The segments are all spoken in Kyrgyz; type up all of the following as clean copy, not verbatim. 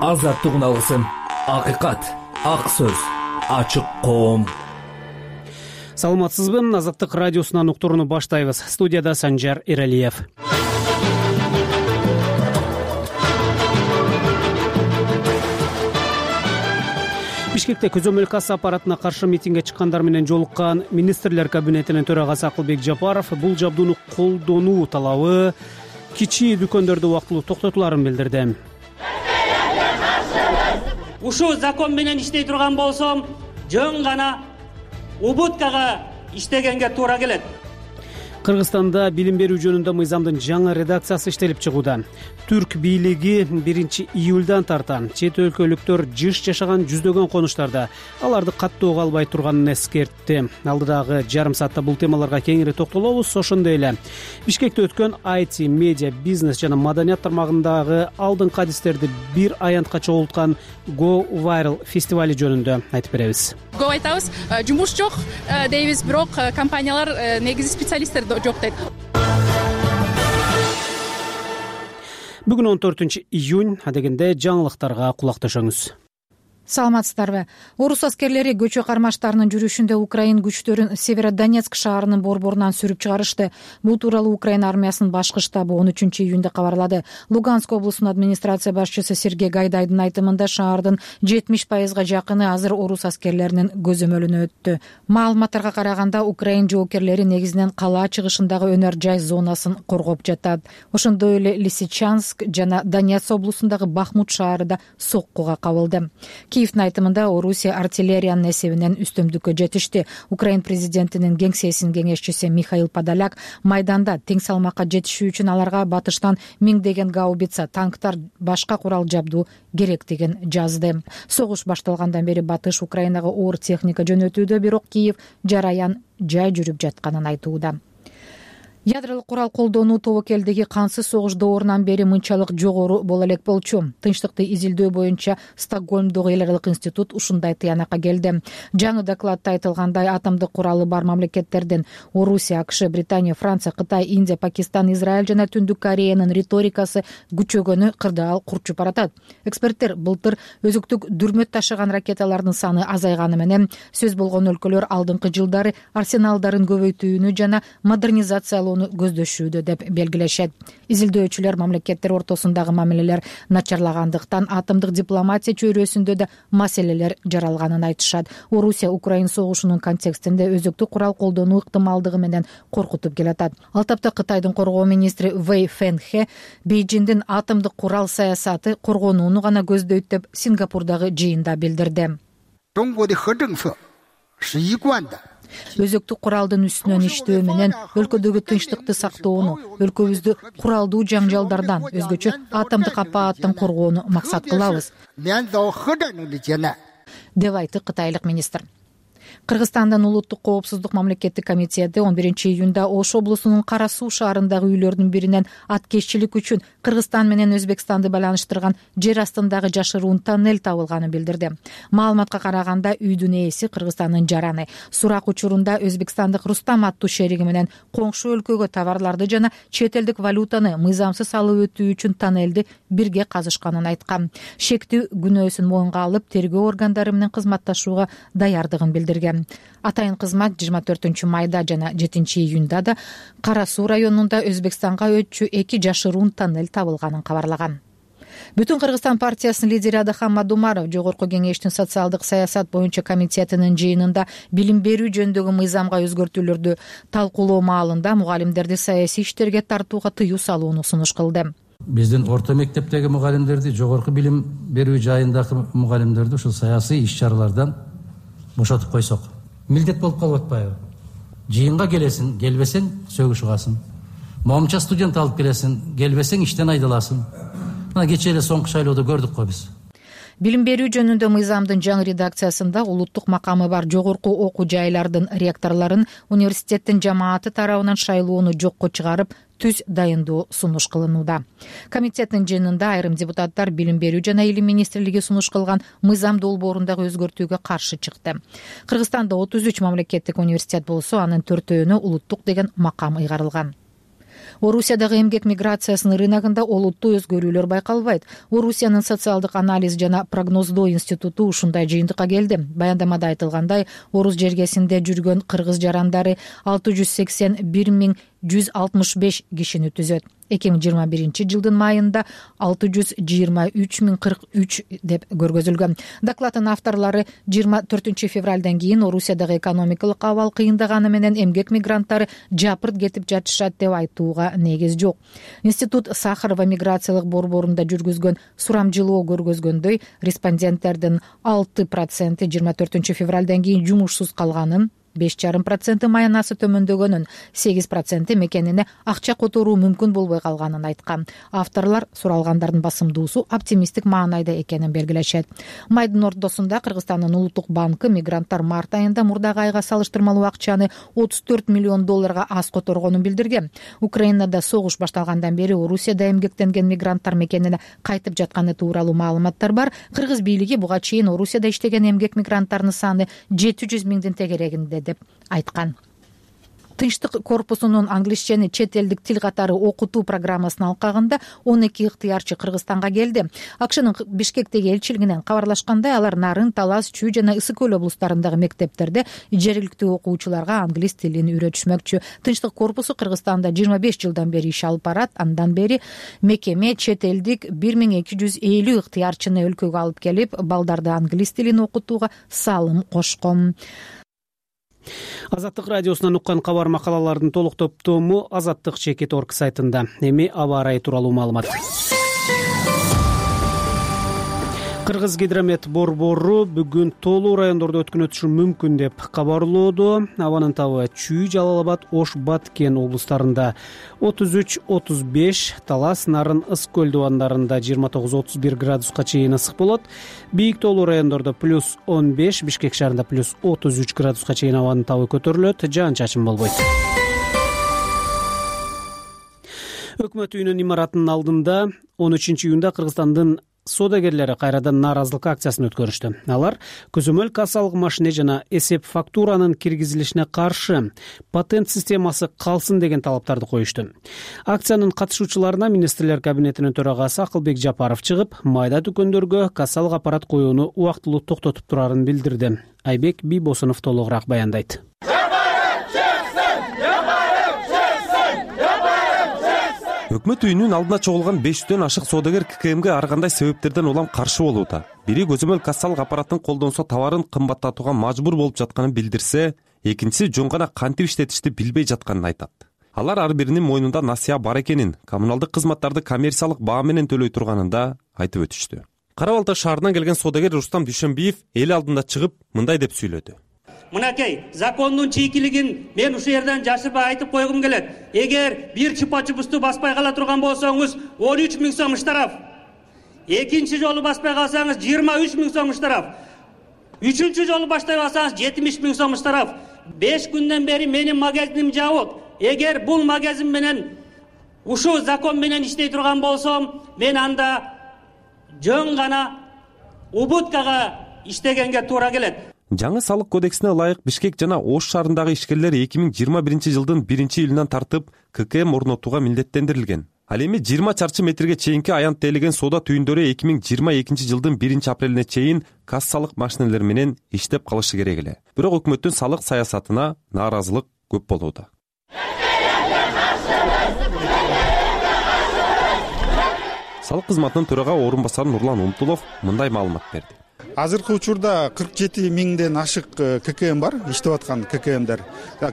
азаттыгын алсын. Акыйкат, ак сөз, ачык коом. Саламатсызбы? Азаттык радиосунан уктурууну баштайбыз. Студияда Санжар Эралиев. Бишкекте көзөмөл касса аппаратына каршы митингге чыккандар менен жолуккан министрлер кабинетинин төрагасы Акылбек Жапаров бул жабдууну колдонуу талабы кичи дүкөндөрдө убактылуу токтотуларын билдирди. Ушул закон менен иштей турган болсом, жөн гана убуткага иштегенге туура келет. Кыргызстанда билим берүү жөнүндө мыйзамдын жаңы редакциясы иштелип чыгууда. Түрк бийлиги 1-июлдан тарта чет өлкөлүктөр жыш жашаган жүздөгөн конуштарда аларды каттоого албай турганын эскертти. Алдыдагы жарым саатта бул темаларга кеңири токтолобуз. Ошондой эле Бишкекте өткөн IT, медиа, бизнес жана маданият тармагындагы алдыңкы адистерди бир аянтка чогулткан Go Viral фестивали жөнүндө айтып беребиз. Көп айтабыз, жумуш жок дейбиз, бирок компаниялар негизи специалисттер жок дейт. Бүгүн 14-июнь, адегенде жаңылыктарга кулак төшөңүз. Саламатсыздарбы? Орус аскерлери көчө кармаштарынын жүрүшүндө Украин күчтөрүн Северодонецк шаарынын борборунан сүрүп чыгарышты. Бул тууралуу Украина армиясынын башкы штабы 13-июнда кабарлады. Луганск облусунун администрация башчысы Сергей Гайдайдын айтымында шаардын 70% жакыны азыр орус аскерлеринин көзөмөлүнө өттү. Маалыматтарга караганда Украин жоокерлери негизинен кала чыгышындагы өнөр жай зонасын коргоп жатат. Ошондой эле Лисичанск жана Донецк облусундагы Бахмут шаары да соккуга кабылды. Киевдин айтымында Орусия артиллериянын эсебинен үстөмдүккө жетишти. Украин президентинин кеңсесинин кеңешчиси Михаил Подоляк майданда тең салмакка жетишүү үчүн аларга батыштан миңдеген гаубица, танктар, башка курал жабдуу керектигин жазды. Согуш башталгандан бери батыш Украинага оор техника жөнөтүүдө, бирок Киев жараян жай жүрүп жатканын айтууда. Ядролук курал колдонуу тобокелдеги кансыз согуш доорунан бери мынчалык жогору боло элек болчу. Тынчтыкты изилдөө боюнча Стокгольмдогу эл аралык институт ушундай тыянакка келди. Жаңы докладда айтылгандай, атомдук куралы бар мамлекеттерден Орусия, АКШ, Британия, Франция, Кытай, Индия, Пакистан, Израиль жана Түндүк Кореянын риторикасы күчөгөнү кырдаал курчуп баратат. Эксперттер былтыр өзүктүк дүрмөт ташыган ракеталардын саны азайганы менен сөз болгон өлкөлөр алдыңкы жылдары арсеналдарын көбөйтүүнү жана модернизациялоону көздөшүүдө деп белгилешет. Изилдөөчүлөр мамлекеттер ортосундагы мамилелер начарлагандыктан атомдук дипломатия чөйрөсүндө да маселелер жаралганын айтышат. Орусия Украин согушунун контекстинде өзүктүк курал колдонуу ыктымалдыгы менен коркутуп келатат. Ал тапта Кытайдын коргоо министри Вэй Фэнхэ Бейжиңдин атомдук курал саясаты коргонууну гана көздөйт деп Сингапурдагы жыйында билдирди. Өзөктүк куралдын үстүнөн иштөө менен өлкөдөгү тынчтыкты сактоону, өлкөбүздү куралдуу жаңжалдардан, өзгөчө атомдук апааттан коргоону максат кылабыз, деп айтты кытайлык министр. Кыргызстандын улуттук коопсуздук мамлекеттик комитети 11-июнда Ош облусунун Кара Суу шаарындагы үйлөрдүн биринен аткезчилик үчүн Кыргызстан менен Өзбекстанды байланыштырган жер астындагы жашыруун тоннель табылганын билдирди. Маалыматка караганда үйдүн ээси Кыргызстандын жараны. Сурак учурунда Өзбекстандык Рустам аттуу шериги менен коңшу өлкөгө товарларды жана чет элдик валютаны мыйзамсыз алып өтүү үчүн тоннелди бирге казышканын айткан. Шектүү күнөөсүн моюнга алып, тергөө органдары менен кызматташууга даярдыгын билдирген. Атайын кызмат 24-майда жана 7-июнда да Кара Суу районунда Өзбекстанга өтчү 2 жашыруун тоннель табылганын кабарлаган. Бүтүн Кыргызстан партиясынын лидери Адахан Мадумаров Жогорку кеңештин социалдык саясат боюнча комитетинин жыйынында билим берүү жөнүндөгү мыйзамга өзгөртүүлөрдү талкуулоо маалында мугалимдерди саясий иштерге тартууга тыюу салууну сунуш кылды. Биздин орто мектептеги мугалимдерди, жогорку билим берүү жайындагы мугалимдерди ушул саясий иш-чаралардан бошотуп койсок, милдет болуп калып атпайбы? Жыйынга келесиң, келбесең сөгүш угасың. Момча студент алып келесиң, келбесең иштен айдаласың. Мына кечээ эле соңку шайлоодо көрдүк го биз. Билим берүү жөнүндө мыйзамдын жаңы редакциясында улуттук макамы бар жогорку окуу жайлардын ректорлорун университеттин жамааты тарабынан шайлоону жокко чыгарып, түз дайындоо сунуш кылынууда. Комитеттин жыйынында айрым депутаттар Билим берүү жана илим министрлиги сунуш кылган мыйзам долбоорундагы өзгөртүүгө каршы чыкты. Кыргызстанда 33 мамлекеттик университет болсо, анын 4-өөнө улуттук деген макам ыйгарылган. Орусиядагы эмгек миграциясынын рыногунда олуттуу өзгөрүүлөр байкалбайт. Орусиянын социалдык анализ жана прогноздоо институту ушундай жыйынтыкка келди. Баяндамада айтылгандай, Орус жергесинде жүргөн кыргыз жарандары 681.165 кишини түзөт. 2021 майында 623.043 деп көргөзүлгөн. Докладдын авторлору 24 февралдан кийин Орусиядагы экономикалык абал кыйындаганы менен эмгек мигранттары жапырт кетип жатышат деп айтууга негиз жок. Институт Сахарова миграциялык борборунда жүргүзгөн сурамжылоо көргөзгөндөй, респонденттердин 6% 24 февралдан кийин жумушсуз калганын, 5,5% маянасы төмөндөгөнүн, 8% мекенине акча которуу мүмкүн болбой калганын айткан. Авторлор суралгандардын басымдуусу оптимисттик маанайда экенин белгилешет. Майдын ортосунда Кыргызстандын улуттук банкы мигранттар март айында мурдагы айга салыштырмалуу акчаны $34 миллион аз которгонун билдирген. Украинада согуш башталгандан бери Орусияда эмгектенген мигранттар мекенине кайтып жатканы тууралуу маалыматтар бар. Кыргыз бийлиги буга чейин Орусияда иштеген эмгек мигранттарынын саны 700 миңдин тегерегинде деп айткан. Тынчтык корпусунун англисчени чет элдик тил катары окутуу программасынын алкагында 12 ыктыярчы Кыргызстанга келди. АКШнын Бишкектеги элчилигинен кабарлашкандай, алар Нарын, Талас, Чүй жана Ысык Көл облустарындагы мектептерде жергиликтүү окуучуларга англис тилин үйрөтүшмөкчү. Тынчтык корпусу Кыргызстанда 25 жылдан бери иш алып барат. Андан бери мекеме чет элдик 1250 ыктыярчыны өлкөгө алып келип, балдарды англис тилин окутууга салым кошкон. Азаттык радиосунан уккан кабар макалалардын толук топтому azattik.org сайтында. Эми аба ырайы тууралуу маалымат. Кыргыз гидромет борбору бүгүн тоолуу райондордо өткөн өтүшү мүмкүн деп кабарлоодо. Абанын табы Чүй, Жалал Абад, Ош, Баткен облустарында 33-35, Талас, Нарын, Ысык Көл дубандарында 29-31 градуска чейин ысык болот. Бийик тоолуу райондордо +15, Бишкек шаарында +33 градуска чейин абанын табы көтөрүлөт, жаан-чачын болбойт. Өкмөт үйүнүн имаратынын алдында 13-июнда Кыргызстандын соодагерлери кайрадан нааразылык акциясын өткөрүштү. Алар көзөмөл кассалык машине жана эсеп фактуранын киргизилишине каршы патент системасы калсын деген талаптарды коюшту. Акциянын катышуучуларына министрлер кабинетинин төрагасы Акылбек Жапаров чыгып, майда дүкөндөргө кассалык аппарат коюуну убактылуу токтотуп турарын билдирди. Айбек Бийбосунов толугураак баяндайт. Өкмөт үйүнүн алдына чогулган 500дөн ашык соодагер ККМге ар кандай себептерден улам каршы болууда. Бири көзөмөл кассалык аппаратын колдонсо товарын кымбаттатууга мажбур болуп жатканын билдирсе, экинчиси жөн гана кантип иштетишти билбей жатканын айтат. Алар ар биринин мойнунда насыя бар экенин, коммуналдык кызматтарды коммерциялык баа менен төлөй турганын да айтып өтүштү. Кара Балта шаарынан келген соодагер Рустам Дүйшөнбиев эл алдында чыгып мындай деп сүйлөдү. Мынакей, закондун чийкилигин мен ушул жерден жашырбай айтып койгум келет. Эгер бир чупа-чупусту баспай кала турган болсоңуз, 13 000 сом штраф. Экинчи жолу баспай калсаңыз 23 000 сом штраф. Үчүнчү жолу баштай калсаңыз 70 000 сом штраф. 5 күндөн бери менин магазиним жабык. Эгер бул магазин менен ушул закон менен иштей турган болсом, мен анда жөн гана убуткага иштегенге туура келет. Жаңы салык кодексине ылайык Бишкек жана Ош шаарындагы ишкерлер 2021 жылдын 1-июлунан тартып ККМ орнотууга милдеттендирилген. Ал эми 20 чарчы метрге чейинки аянт тейлеген соода түйүндөрү 2022 жылдын 1-апрелине чейин кассалык машинелер менен иштеп калышы керек эле. Бирок өкмөттүн салык саясатына нааразылык көп болууда. Салык кызматынын төрага орун басары Нурлан Умтулов мындай маалымат берди. Азыркы учурда 47 миңден ашык ККМ бар, иштеп аткан ККМдер.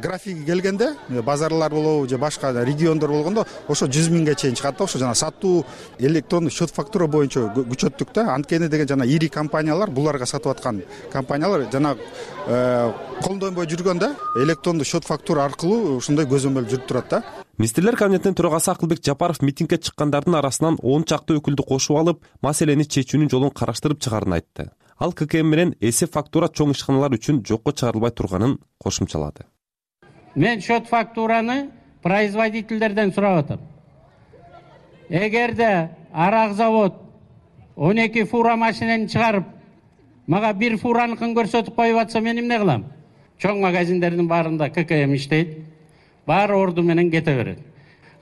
Графиги келгенде базарлар болобу же башка региондор болгондо ошо 100 миңге чейин чыгат да. Ошо жана сатуу электрондук счет фактура боюнча күчөттүк да. Анткени деген жана ири компаниялар, буларга сатып аткан компаниялар жана колдонбой жүргөндө электрондук счет фактура аркылуу ушундай көзөмөл жүрүп турат да. Министрлер кабинетинин төрагасы Акылбек Жапаров митингге чыккандардын арасынан 10 чакты өкүлдү кошуп алып, маселени чечүүнүн жолун караштырып чыгарын айтты. Ал ККМ менен эсеп фактура чоң ишканалар үчүн жокко чыгарылбай турганын кошумчалады. Мен счет фактураны производительдерден сурап атам. Эгерде арак завод 12 фура машинени чыгарып, мага бир фураныкын көрсөтүп коюп атса, мен эмне кылам? Чоң магазиндердин баарында ККМ иштейт. Баары орду менен кете берет.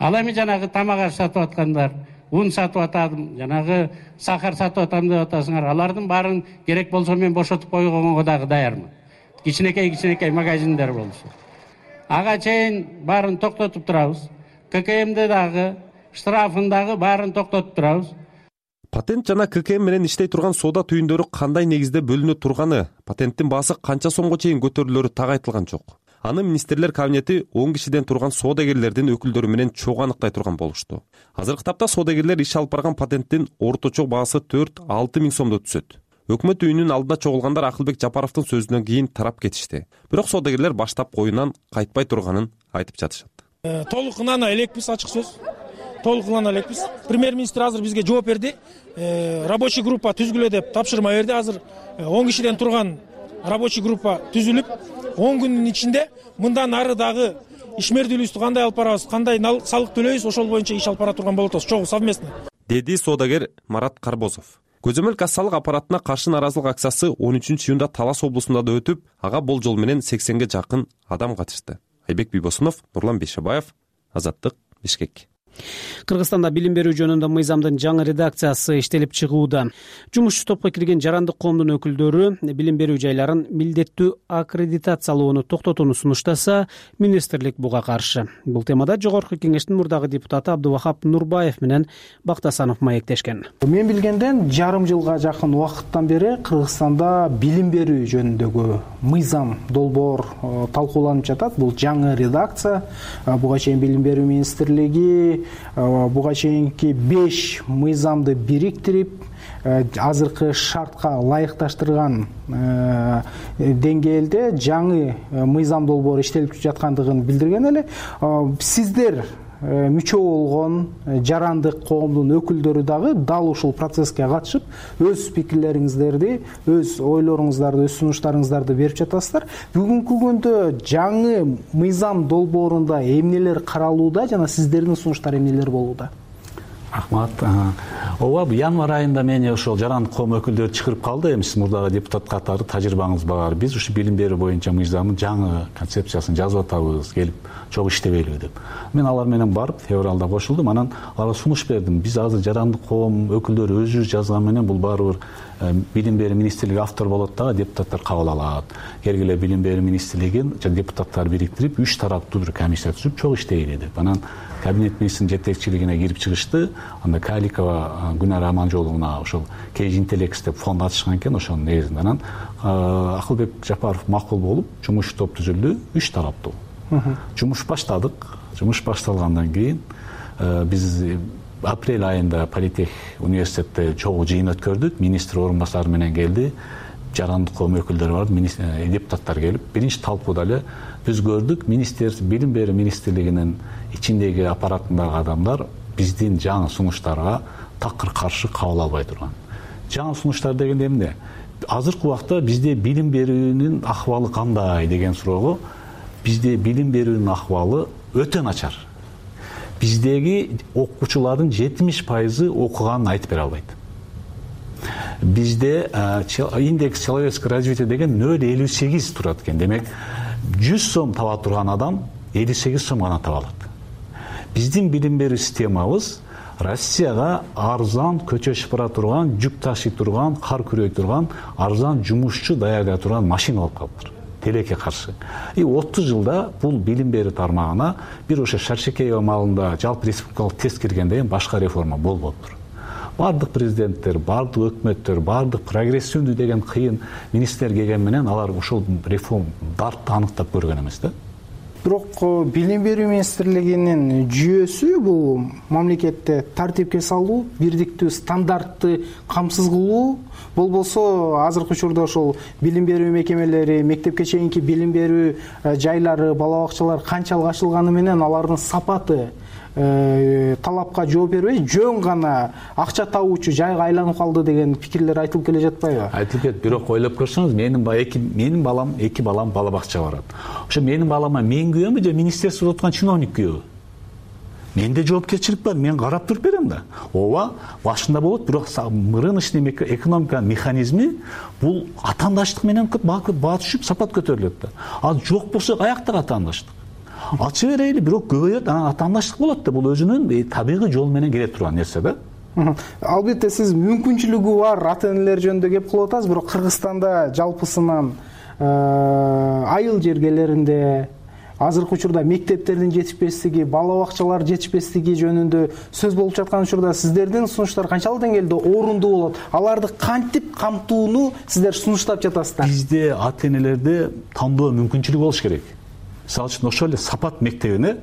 Ал эми жанагы тамак аш сатып аткандар, un сатып атам, жанагы сахар сатып атам деп атасыңар. Алардын баарын керек болсо мен бошотуп койгонго дагы даярмын. Кичинекей магазиндер болсо. Ага чейин баарын токтотуп турабыз. ККМде дагы, штрафын дагы баарын токтотуп турабыз. Патент жана ККМ менен иштей турган соода түйүндөрү кандай негизде бөлүнө турганы, патенттин баасы канча сомго чейин көтөрүлөрү так айтылган жок. Аны министрлер кабинети 10 кишиден турган соодагерлердин өкүлдөрү менен чогуу аныктай турган болушту. Азыркы тапта соодагерлер иш алып барган патенттин орточо баасы 4-6 миң сомдо түшөт. Өкмөт үйүнүн алдында чогулгандар Акылбек Жапаровдун сөзүнөн кийин тарап кетишти. Бирок соодагерлер баштап коюнан кайтпай турганын айтып жатышат. Толук ынана элекпиз, ачык сөз. Толук ынана элекпиз. Премьер-министр азыр бизге жооп берди. Рабочий группа түзгүлө деп тапшырма берди. Азыр 10 кишиден турган рабочий группа түзүлүп, 10 күндүн ичинде мындан ары дагы ишмердүүлүктү кандай алып барабыз, кандай салык төлөйбүз, ошол боюнча иш алып бара турган болот атабыз. Чогуу совместно. Деди соодагер Марат Карбозов. Көзөмөл кассалык аппаратына каршы нааразылык акциясы 13-июнда Талас облусунда да өтүп, ага болжол менен 80ге жакын адам катышты. Айбек Бийбосунов, Нурлан Бейшебаев, Азаттык, Бишкек. Кыргызстанда билим берүү жөнүндө мыйзамдын жаңы редакциясы иштелип чыгууда. Жумушчу топко кирген жарандык коомдун өкүлдөрү билим берүү жайларын милдеттүү аккредитациялоону токтотууну сунуштаса, министрлик буга каршы. Бул темада Жогорку Кеңештин мурдагы депутаты Абдувахап Нурбаев менен Бактасанов маектешкен. Мен билгенден жарым жылга жакын убакыттан бери Кыргызстанда билим берүү жөнүндөгү мыйзам долбоор талкууланып жатат. Бул жаңы редакция. Буга чейин билим берүү министрлиги буга чейинки 5 мыйзамды бириктирип, азыркы шартка ылайыкташтырган деңгээлде жаңы мыйзам долбоор иштелип жаткандыгын билдирген эле. Сиздер мүчө болгон жарандык коомдун өкүлдөрү дагы дал ушул процесске катышып, өз пикирлериңиздерди, өз ойлоруңуздарды, өз сунуштарыңыздарды берип жатасыздар. Бүгүнкү күндө жаңы мыйзам долбоорунда эмнелер каралууда жана сиздердин сунуштар эмнелер болууда? Рахмат. Ооба, январь айында мени ошол жарандык коом өкүлдөрү чакырып калды. Эми сиз мурдагы депутат катары тажрыйбаңыз бар. Биз ушу билим берүү боюнча мыйзамдын жаңы концепциясын жазып атабыз, келип чогуу иштебейлиби деп. Мен алар менен барып февралда кошулдум. Анан аларга сунуш бердим. Биз азыр жарандык коом өкүлдөрү өзүбүз жазган менен бул баары бир билим берүү министрлиги автор болот дагы депутаттар кабыл алат. Келгиле билим берүү министрлигин депутаттар бириктирип 3 тараптуу бир комиссия түзүп чогуу иштейли деп. Анан кабинет министринин жетекчилигине кирип чыгышты. Анда Каликова Гүнара Аманжоловна ошол Кейж Интелекс деп фонд ачышкан экен, ошонун негизинде. Анан Акылбек Жапаров макул болуп, жумуш топ түзүлдү, 3 тараптуу. Жумуш баштадык. Жумуш башталгандан кийин биз апрель айында Политех университетте чогуу жыйын өткөрдүк. Министр орун басары менен келди. Жарандык коом өкүлдөрү бар, депутаттар келип, биринчи талкууда эле биз көрдүк, билим берүү министрлигинин ичиндеги аппаратындагы адамдар биздин жаңы сунуштарга такыр каршы кабыл албай турган. Жаңы сунуштар дегенде эмне? Азыркы убакта бизде билим берүүнүн акыбалы кандай деген суроого, бизде билим берүүнүн акыбалы өтө начар. Биздеги окуучулардын 70% окуганын айтып бере албайт. Бизде индекс человеческого развития деген 0,58 турат экен. Демек 100 сом таба турган адам 58 сом гана таба алат. Биздин билим берүү системабыз Россияга арзан көчөшүп бара турган, жүк ташый турган, кар күрөй турган, арзан жумушчу даярдай турган машина болуп калыптыр. Телекке каршы. 30 жылда бул билим берүү тармагына бир ошо Шаршекеева маалында жалпы республикалык тест киргенден кийин башка реформа болбоптур. Бардык президенттер, бардык өкмөттөр, бардык прогрессивдүү деген кыйын министрлер келген менен алар ошол реформ дартты аныктап көргөн эмес да. Бирок билим берүү министрлигинин жүйөсү бул мамлекетте тартипке салуу, бирдиктүү стандартты камсыз кылуу, болбосо азыркы учурда ошол билим берүү мекемелери, мектепке чейинки билим берүү жайлары, бала бакчалар канчалык ачылганы менен алардын сапаты талапка жооп бербей, жөн гана акча табуучу жайга айланып калды деген пикирлер айтылып келе жатпайбы? Айтылып келет, бирок ойлоп көрсөңүз, менин балам, 2 балам бала бакчага барат. Ошо менин балама мен күйөмү же министрликте отурган чиновник күйөбү? Менде жоопкерчилик бар, мен карап туруп берем да. Ооба, башында болот, бирок рыночный экономика механизми бул атаандаштык менен баа түшүп, сапат көтөрүлөт да. Ал жок болсо каяктагы атаандаштык? ачы берейли, бирок көбөйөт, анан атаандаштык болот да. Бул өзүнүн табигый жол менен келе турган нерсе да. Албетте сиз мүмкүнчүлүгү бар ата энелер жөнүндө кеп кылып атасыз, бирок Кыргызстанда жалпысынан айыл жергелеринде азыркы учурда мектептердин жетишпестиги, бала бакчалар жетишпестиги жөнүндө сөз болуп жаткан учурда сиздердин сунуштар канчалык деңгээлде орундуу болот? Аларды кантип камтууну сиздер сунуштап жатасыздар? Бизде ата энелерде тандоо мүмкүнчүлүгү болуш керек. Мисалы үчүн ошол эле Сапат мектебине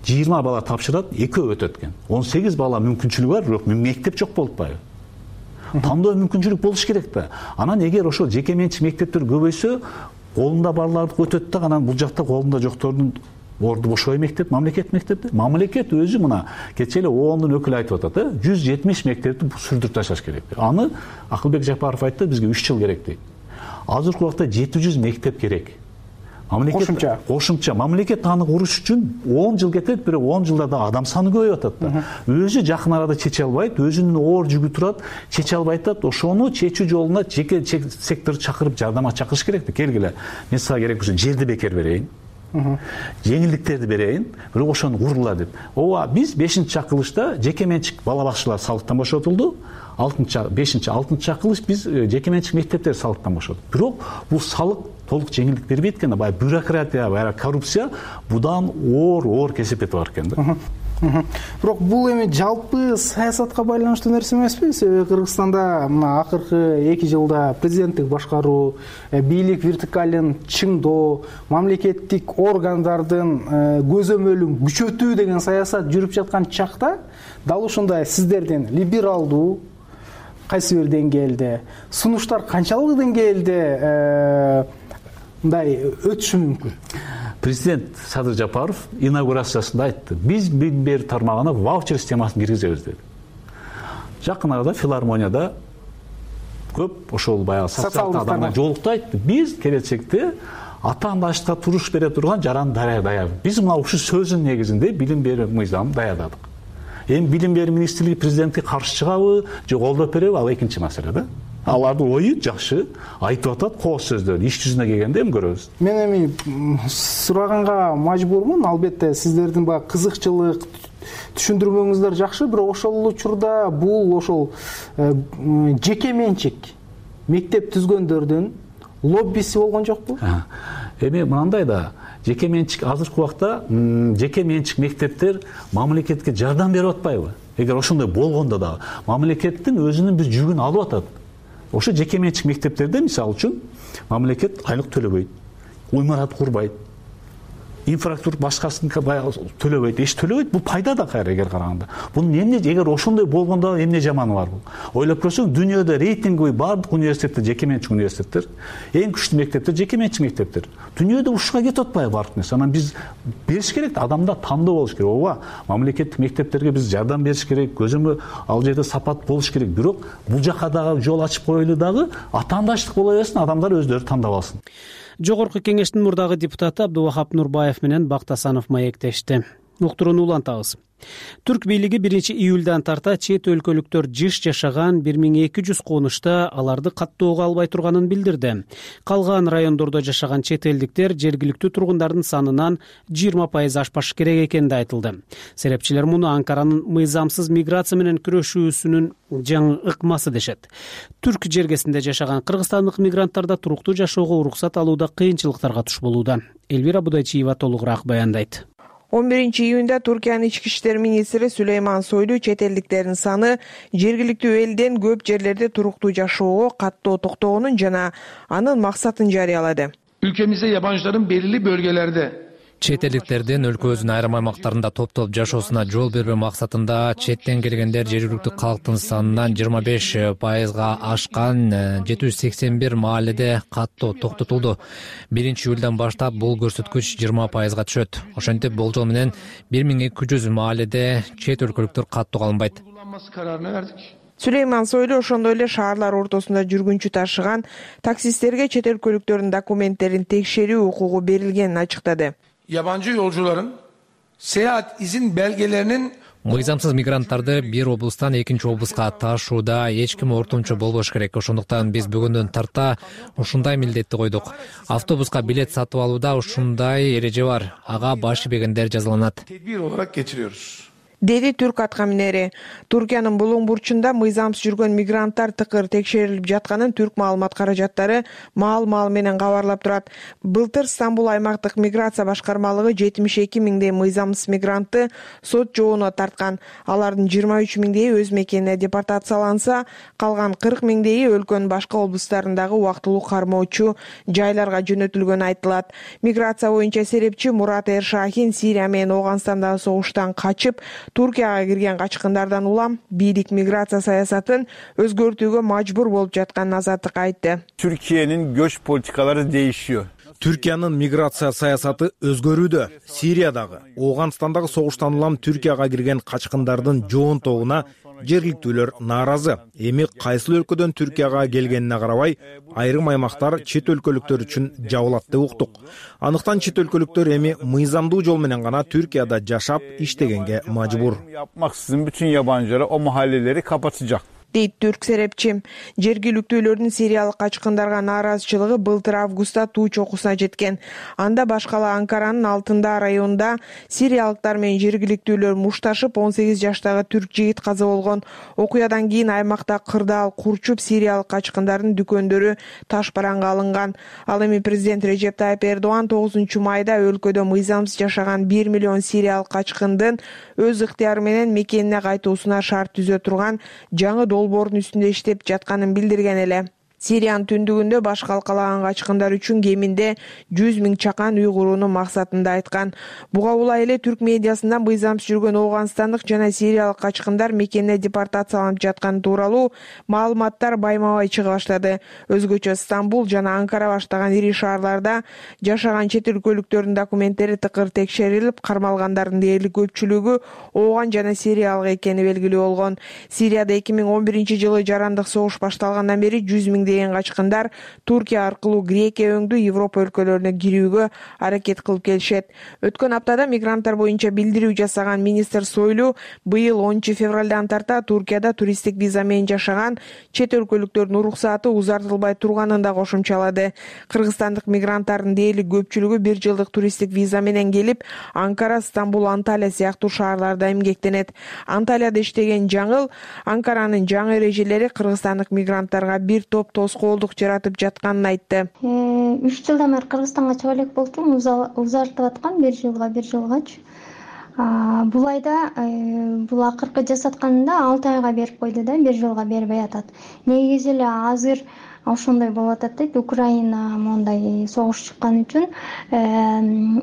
20 бала тапшырат, 2 өтөт экен. 18 бала мүмкүнчүлүгү бар, бирок мектеп жок болуп атпайбы? Тандоо мүмкүнчүлүк болуш керек да. Анан эгер ошол жеке менчик мектептер көбөйсө, колунда барларды өтөт да, анан бул жакта колунда жоктордун орду бошобой мектеп, мамлекет мектепти. Мамлекет өзү мына кечээ эле ООНдун өкүлү айтып атат, 170 мектепти сүрдүрүп ташташ керек. Аны Акылбек Жапаров айтты, бизге 3 жыл керек дейт. Азыркы убакта 700 мектеп керек. Кошумча мамлекет аны куруш үчүн 10 жыл кетет, бирок 10 жылда да адам саны көбөйүп атат да. Өзү жакын арада чече албайт, өзүнүн оор жүгү турат, чече албайт атат. Ошону чечүү жолуна жеке секторду чакырып жардамга чакырыш керек да. Келгиле, мен сага керек болсо жерди бекер берейин. Жеңилдиктерди берейин, бирок ошону кургула деп. Ооба, биз 5-чакылышта жеке менчик бала бакчалар салыктан бошотулду. 5-6 биз жеке менчик мектептер салыктан бошотуп. Бирок бул салык толук жеңилдик бербейт экен да. Баягы бюрократия, баягы коррупция будан оор кесип бар экен да. Бирок бул эми жалпы саясатка байланыштуу нерсе эмеспи? Себеби Кыргызстанда мына акыркы 2 жылда президенттик башкаруу, бийлик вертикалын чыңдоо, мамлекеттик органдардын көзөмөлүн күчөтүү деген саясат жүрүп жаткан чакта, дал ушундай сиздердин либералдуу кайсы бир деңгээлде сунуштар канчалык деңгээлде мындай өтүшү мүмкүн? Президент Садыр Жапаров инаугурациясында айтты, биз билим тармагына ваучер системасын киргизебиз деди. Жакын арада филармонияда көп ошол баягы социалдык адамдар жолукту айтты. Биз келечекте атаандаштыкка туруш бере турган жаран даярдайбыз. Биз мына ушул сөзүнүн негизинде билим берүү мыйзамын даярдадык. Эми билим берүү министрлиги президентке каршы чыгабы, же колдоп береби, ал экинчи маселе да. Алардын ою жакшы, айтып атат кооз сөздөрдү. Иш жүзүнө келгенде эми көрөбүз. Мен эми сураганга мажбурмун. Албетте сиздердин баягы кызыкчылык түшүндүрмөңүздөр жакшы, бирок ошол учурда бул ошол жеке менчик мектеп түзгөндөрдүн лоббиси болгон жокпу? Эми мындай да, жеке менчик азыркы убакта жеке менчик мектептер мамлекетке жардам берип атпайбы? Эгер ошондой болгондо да мамлекеттин өзүнүн бир жүгүн алып атат. Ошо жеке менчик мектептерде мисалы үчүн мамлекет айлык төлөбөйт, имарат курбайт, инфраструктура башкасын төлөбөйт, эч төлөбөйт. Бул пайда да кайра эгер караганда. Бунун эмне, эгер ошондой болгондо эмне жаманы бар бул? Ойлоп көрсөң, дүйнөдө рейтинги бардык университеттер жеке менчик университеттер, эң күчтүү мектептер жеке менчик мектептер. Дүйнөдө ушуга кетип атпайбы бардык нерсе? Анан биз бериш керек да, адамда тандоо болуш керек. Ооба, мамлекеттик мектептерге биз жардам бериш керек, көзөмөл ал жерде сапат болуш керек. Бирок бул жака дагы жол ачып коелу дагы атаандаштык боло берсин, адамдар өздөрү тандап алсын. Жогорку кеңештин мурдагы депутаты Абдувахап Нурбаев менен Бактасанов маектешти. Уктурууну улантабыз. Түрк бийлиги 1-июлдан тарта чет өлкөлүктөр жыш жашаган 1200 конушта аларды каттоого албай турганын билдирди. Калган райондордо жашаган чет элдиктер жергиликтүү тургундардын санынан 20% ашпашы керек экени да айтылды. Серепчилер муну Анкаранын мыйзамсыз миграция менен күрөшүүсүнүн жаңы ыкмасы дешет. Түрк жергесинде жашаган кыргызстандык мигранттар да туруктуу жашоого уруксат алууда кыйынчылыктарга туш болууда. Элвира Будайчиева толугураак баяндайт. 11-июнда Туркиянын ички иштер министри Сулейман Сойлу чет элдиктердин саны жергиликтүү элден көп жерлерде туруктуу жашоого каттоо токтогонун жана анын максатын жарыялады. Ülkemizde yabancıların belirli bölgelerde чет элдиктердин өлкөбүздүн айрым аймактарында топтолуп жашоосуна жол бербөө максатында четтен келгендер жергиликтүү калктын санынан 25%га ашкан 781 мааледе каттоо токтотулду. 1-июлдан баштап бул көрсөткүч 20%га түшөт. Ошентип болжол менен 1200 мааледе чет өлкөлүктөр каттоого алынбайт. Сулейман Сойлу ошондой эле шаарлар ортосунда жүргүнчү ташыган таксисттерге чет өлкөлүктөрдүн документтерин текшерүү укугу берилгенин ачыктады. Yabancı yolcuların seyahat izin belgelerinin Мыйзамсыз мигранттарды бир облустан экинчи облуска ташууда эч ким ортомчу болбош керек. Ошондуктан биз бүгүндөн тарта ушундай милдетти койдук. Автобуска билет сатып алууда ушундай эреже бар. Ага баш ийбегендер жазаланат. Tedbir olarak geçiriyoruz. Деди түрк атка минери. Туркиянын булуң бурчунда мыйзамсыз жүргөн мигранттар тыкыр текшерилип жатканын түрк маалымат каражаттары маал менен кабарлап турат. Былтыр Стамбул аймактык миграция башкармалыгы 72 миңдей мыйзамсыз мигрантты сот жообуна тарткан. Алардын 23 миңдейи өз мекенине депортацияланса, калган 40 миңдейи өлкөнүн башка облустарындагы убактылуу кармоочу жайларга жөнөтүлгөнү айтылат. Миграция боюнча серепчи Мурат Эршахин Сирия менен Ооганстандагы согуштан качып Туркияга кирген качкындардан улам бийлик миграция саясатын өзгөртүүгө мажбур болуп жатканын азаттыкка айтты. Türkiye'nin göç politikaları değişiyor. Түркиянын миграция саясаты өзгөрүүдө. Сириядагы, Ооганстандагы согуштан улам Түркияга кирген качкындардын жоонтогуна жергиликтүүлөр нааразы. Эми кайсыл өлкөдөн Түркияга келгенине карабай, айрым аймактар чет өлкөлүктөр үчүн жабылат деп уктук. Андыктан чет өлкөлүктөр эми мыйзамдуу жол менен гана Түркияда жашап, иштегенге мажбур. Yapmaksızın bütün yabancılara o mahalleleri kapatacak. Дейт түрк серепчи. Жергиликтүүлөрдүн сириялык качкындарга нааразычылыгы былтыр августта туу чокусуна жеткен. Анда башкала Анкаранын Алтында районунда сириялыктар менен жергиликтүүлөр мушташып 18 жаштагы түрк жигит каза болгон. Окуядан кийин аймакта кырдаал курчуп сириялык качкындардын дүкөндөрү таш бараңга алынган. Ал эми президент Режеп Тайып Эрдоган 9 майда өлкөдө мыйзамсыз жашаган 1 миллион сириялык качкындын өз ыктыяры менен мекенине кайтуусуна шарт түзө турган жаңы долбоордун үстүндө иштеп жатканын билдирген эле. Сириянын түндүгүндө баш калкалаган качкындар үчүн кеминде 100 миң чакан үй курууну максатында айткан. Буга улай эле түрк медиасында мыйзамсыз жүргөн Ооганстандык жана сириялык качкындар мекенине депортацияланып жатканы тууралуу маалыматтар байма-бай чыга баштады. Өзгөчө Стамбул жана Анкара баштаган ири шаарларда жашаган чет өлкөлүктөрдүн документтери тыкыр текшерилип, кармалгандардын дээрлик көпчүлүгү Ооган жана сириялык экени белгилүү болгон. Сирияда 2011-жылы жарандык согуш башталгандан бери 100 миң деген качкындар Туркия аркылуу Грекия өңдүү Европа өлкөлөрүнө кирүүгө аракет кылып келишет. Өткөн аптада мигранттар боюнча билдирүү жасаган министр Сойлу быйыл 10 февралдан тарта Туркияда туристтик виза менен жашаган чет өлкөлүктөрдүн уруксааты узартылбай турганын да кошумчалады. Кыргызстандык мигранттардын дээрлик көпчүлүгү 1 жылдык туристтик виза менен келип, Анкара, Стамбул, Анталия сыяктуу шаарларда эмгектенет. Анталияда иштеген Жаңыл Анкаранын жаңы эрежелери кыргызстандык мигранттарга бир топ тоскоолдук жаратып жатканын айтты. 3 жылдан бери Кыргызстанга чыга элек болчумун, узартып аткан 1 жылгачы. Бул айда бул акыркы жасатканында 6 айга берип койду да, 1 жылга бербей атат. Негизи эле азыр ошондой болуп атат дейт. Украина мондай согуш чыккан үчүн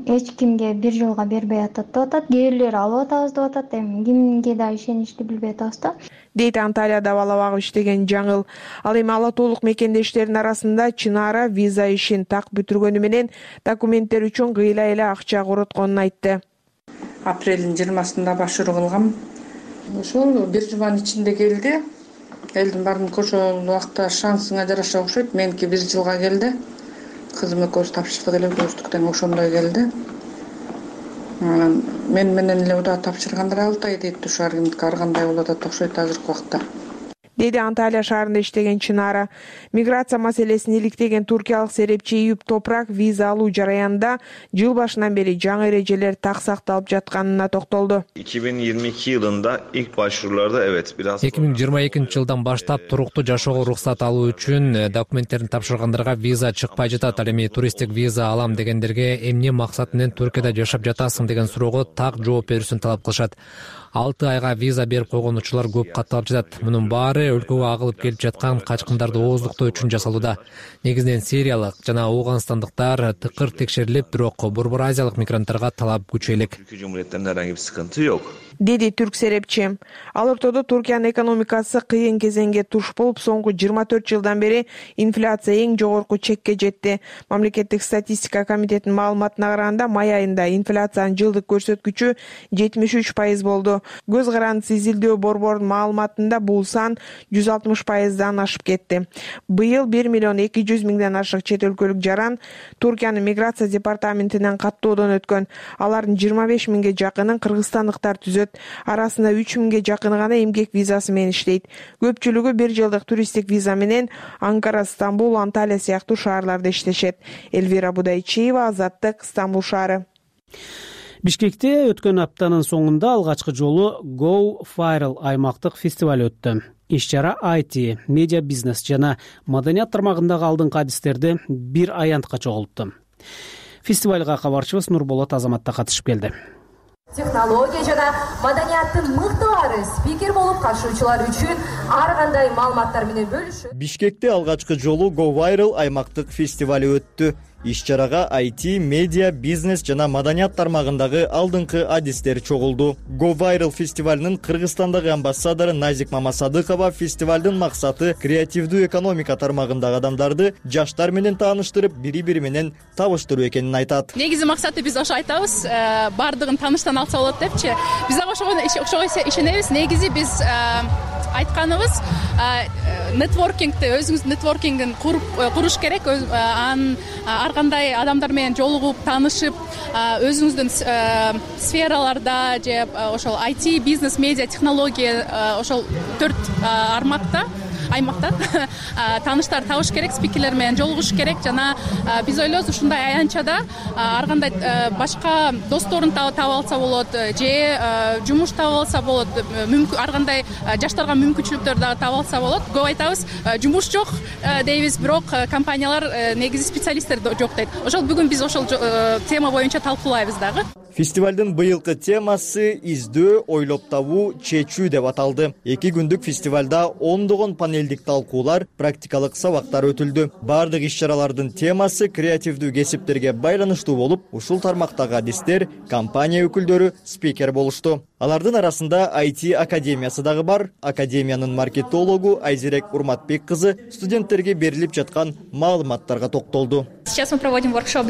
эч кимге 1 жылга бербей атат деп атат. Кээ бирлер алып атабыз деп атат. Эми кимге да ишеничти билбей атабыз да. Дейт Анталияда бала багып иштеген Жаңыл. Ал эми ала толук мекендештердин арасында Чынара виза ишин так бүтүргөнү менен документтер үчүн кыйла эле акча коротконун айтты. Апрелдин 20-сында башыруу кылгам. Ошол 1 жылдын ичинде келди. Элдин баардык ошол убакта шансыңа жараша окшойт. Меники 1 жылга келди. Кызым экөөбүз тапшырдык эле, көздүктөн ошондой келди. Мен менен эле удаа тапшыргандар 6 ай дейт. Ушар ар кандай болуп атат окшойт азыркы убакта. Деди Анталия шаарында иштеген Чынара. Миграция маселесин иликтеген туркиялык серепчи Ийүп Топрак виза алуу жараянында жыл башынан бери жаңы эрежелер так сакталып жатканына токтолду. 2022 yılında ilk başvurularda evet biraz 2022-жылдан баштап туруктуу жашоого уруксат алуу үчүн документтерин тапшыргандарга виза чыкпай жатат. Ал эми туристтик виза алам дегендерге эмне максат менен Түркияда жашап жатасың деген суроого так жооп берүүсүн талап кылышат. 6 айга виза берип койгон учурлар көп катталып жатат. Мунун баары өлкөгө агылып келип жаткан качкындарды ооздуктоо үчүн жасалууда. Негизинен сириялык жана ооганстандыктар тыкыр текшерилип, бирок Борбор Азиялык мигранттарга талап күчөйүлөк. Türkiye Cumhuriyetlerinde herhangi bir sıkıntı yok. Деди түрк серепчи. Ал ортодо Туркиянын экономикасы кыйын кезеңге туш болуп, соңку 24 жылдан бери инфляция эң жогорку чекке жетти. Мамлекеттик статистика комитетинин маалыматына караганда, май айында инфляциянын жылдык көрсөткүчү 73% болду. Көз карандысы изилдөө борборунун маалыматында бул сан 160%дан ашып кетти. Быйыл 1 миллион 200 миңден ашык чет өлкөлүк жаран Туркиянын миграция департаментинен каттоодон өткөн. Алардын 25 миңге жакынын кыргызстандыктар түзөт. өтүлөт. Арасында 3000ге жакыны гана эмгек визасы менен иштейт. Көпчүлүгү 1 жылдык туристтик виза менен Анкара, Стамбул, Анталия сыяктуу шаарларда иштешет. Элвира Будайчиева, Азаттык, Стамбул шаары. Бишкекте өткөн аптанын соңунда алгачкы жолу Go Viral аймактык фестиваль өттү. Иш-чара IT, медиа бизнес жана маданият тармагындагы алдыңкы адистерди бир аянтка чогултту. Фестивалга кабарчыбыз Нурболот Азамат да катышып келди. Технология жана маданияттын мыктылары спикер болуп катышуучулар үчүн ар кандай маалыматтар менен бөлүшөт. Бишкекте алгачкы жолу Go Viral аймактык фестивалы өттү. Иш-чарага IT, медиа, бизнес жана маданият тармагындагы алдыңкы адистер чогулду. Go Viral фестивалынын Кыргызстандагы амбассадору Назик Мамасадыкова фестивалдын максаты креативдүү экономика тармагындагы адамдарды жаштар менен тааныштырып, бири-бири менен табыштыруу экенин айтат. Негизи максаты биз ошо айтабыз, бардыгын тааныштан алса болот депчи. Биз ошого ишенебиз. Негизи биз айтканыбыз нетворкингди, өзүңүздүн нетворкингин куруш керек. Анын ар кандай адамдар менен жолугуп, таанышып, өзүңүздүн сфераларда же ошол IT, бизнес, медиа, технология ошол 4 аймакта тааныштар табыш керек, спикерлер менен жолугуш керек жана биз ойлойбуз ушундай аянтчада ар кандай башка досторун таап алса болот же жумуш таап алса болот, ар кандай жаштарга мүмкүнчүлүктөр дагы таап алса болот. Көп айтабыз, жумуш жок дейбиз, бирок компаниялар негизи специалисттер жок дейт. Ошол бүгүн биз ошол тема боюнча талкуулайбыз дагы. Фестивалдын быйылкы темасы издөө, ойлоп табуу, чечүү деп аталды. 2 күндүк фестивалда ондогон панелдик талкуулар, практикалык сабактар өтүлдү. Бардык иш-чаралардын темасы креативдүү кесиптерге байланыштуу болуп, ушул тармактагы адистер, компания өкүлдөрү спикер болушту. Алардын арасында IT академиясы дагы бар. Академиянын маркетологу Айзерек Урматбек кызы студенттерге берилип жаткан маалыматтарга токтолду. Сейчас мы проводим воркшоп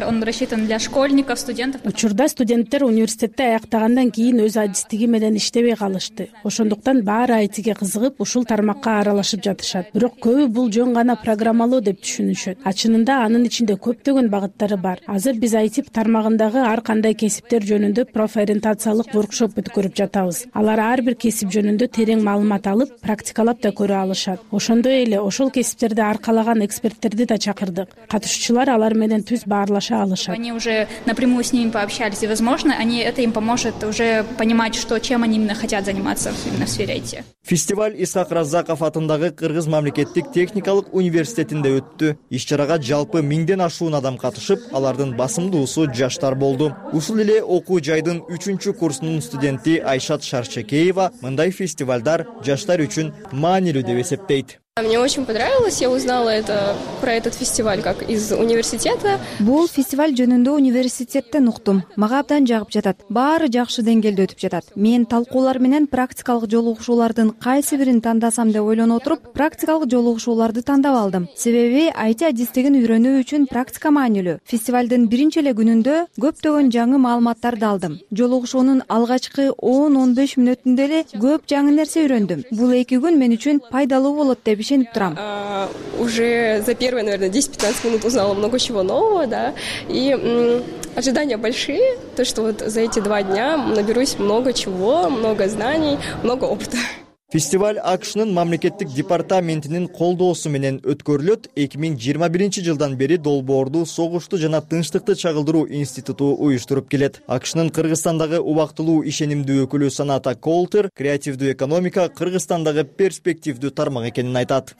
он рассчитан для школьников, студентов. Учурда студенттер университетте аяктагандан кийин өз адистиги менен иштебей калышты. Ошондуктан баары айтиге кызыгып, ушул тармакка аралашып жатышат. Бирок көбү бул жөн гана программалоо деп түшүнүшөт. Чынында анын ичинде көптөгөн багыттары бар. Азыр биз IT тармагындагы ар кандай кесиптер жөнүндө профориентациялык воркшоп өткөрүп жатабыз. Алар ар бир кесип жөнүндө терең маалымат алып, практикалап да көрө алышат. Ошондой эле ошол кесиптерди аркалаган эксперттерди да чакырдык. Катышуучулар алар менен түз баарлаша алышат. Они уже напрямую с ними пообщались, и, возможно, это им поможет уже понимать, чем они именно хотят заниматься именно в сфере IT. Фестиваль Исак Раззаков атындагы Кыргыз мамлекеттик техникалык университетинде өттү. Иш-чарага жалпы 1000ден ашуун адам катышып, алардын басымдуусу жаштар болду. Ушул эле окуу жайдын 3-курсунун студенти Айшат Шарчекеева мындай фестивалдар жаштар үчүн маанилүү деп эсептейт. Мне очень понравилось, я узнала про этот фестиваль как из университета. Бул фестиваль жөнүндө университеттен уктум. Мага абдан жагып жатат. Баары жакшы деңгээлде өтүп жатат. Мен талкуулар менен практикалык жолугушуулардын кайсы бирин тандасам деп ойлонуп отуруп, практикалык жолугушууларды тандап алдым. Себеби IT адистигин үйрөнүү үчүн практика маанилүү. Фестивалдын биринчи эле күнүндө көптөгөн жаңы маалыматтарды алдым. Жолугушуунун алгачкы 10-15 мүнөтүндө эле көп жаңы нерсе үйрөндүм. Бул 2 күн мен үчүн пайдалуу болот деп ишенип турам. Уже за первые, наверное, 10-15 минут узнала много чего нового, да, и ожидания большие, то, что вот за эти 2 дня наберусь много чего, много знаний, много опыта. Фестиваль АКШнын мамлекеттик департаментинин колдоосу менен өткөрүлөт. 2021 жылдан бери долбоорду согушту жана тынчтыкты чагылдыруу институту уюштуруп келет. АКШнын Кыргызстандагы убактылуу ишенимдүү өкүлү Саната Колтер креативдүү экономика Кыргызстандагы перспективдүү тармак экенин айтат.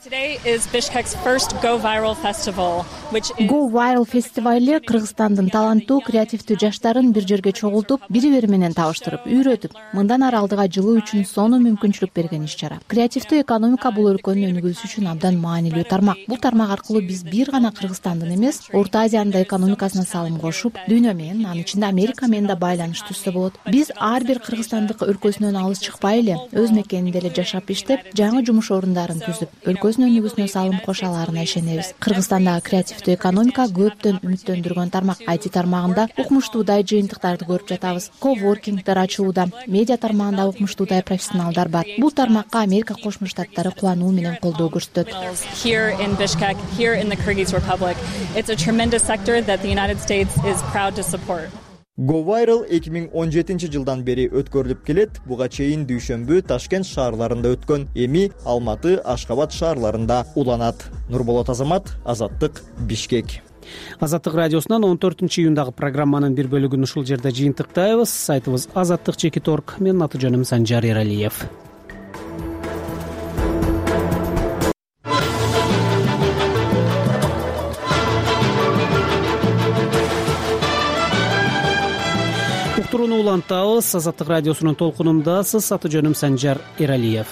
Go Viral фестивали Кыргызстандын таланттуу креативдүү жаштарын бир жерге чогултуп, бири-бири менен табыштырып, үйрөтүп, мындан ары алдыга жылуу үчүн сонун мүмкүнчүлүк берген иш-чара. Креативдүү экономика бул өлкөнүн өнүгүүсү үчүн абдан маанилүү тармак. Бул тармак аркылуу биз бир гана Кыргызстандын эмес, Орто Азиянын да экономикасына салым кошуп, дүйнө менен, анын ичинде Америка менен да байланыш түзсө болот. Биз ар бир кыргызстандык өлкөсүнөн алыс чыкпай эле, өз мекенинде эле жашап иштеп, жаңы жумуш орундарын түзүп, өлкөсүнүн өнүгүүсүнө салым кошо аларына ишенебиз. Кыргызстандагы креативдүү экономика көптөн үмүттөндүргөн тармак. IT тармагында укмуштуудай жыйынтыктарды көрүп жатабыз. Коворкингдер ачууда, медиа тармагында укмуштуудай профессионалдар бар. Бул тармакка Америка Кошмо Штаттары кубануу менен колдоо көрсөтөт. Here in Bishkek, here in the Kyrgyz Republic, it's a tremendous sector that the United States is proud to support. Go Viral 2017 жылдан бери өткөрүлүп келет. Буга чейин дүйшөмбү Ташкент шаарларында өткөн, эми Алматы, Ашкабад шаарларында уланат. Нурболот Азамат, Азаттык, Бишкек. Азаттык радиосунан 14-июндагы программанын бир бөлүгүн ушул жерде жыйынтыктайбыз. Сайтыбыз azаттык.org. Менин аты жөнүм Санжар Эралиев. Уктурууну улантабыз. Азаттык радиосунун толкунундасыз. Аты жөнүм Санжар Эралиев.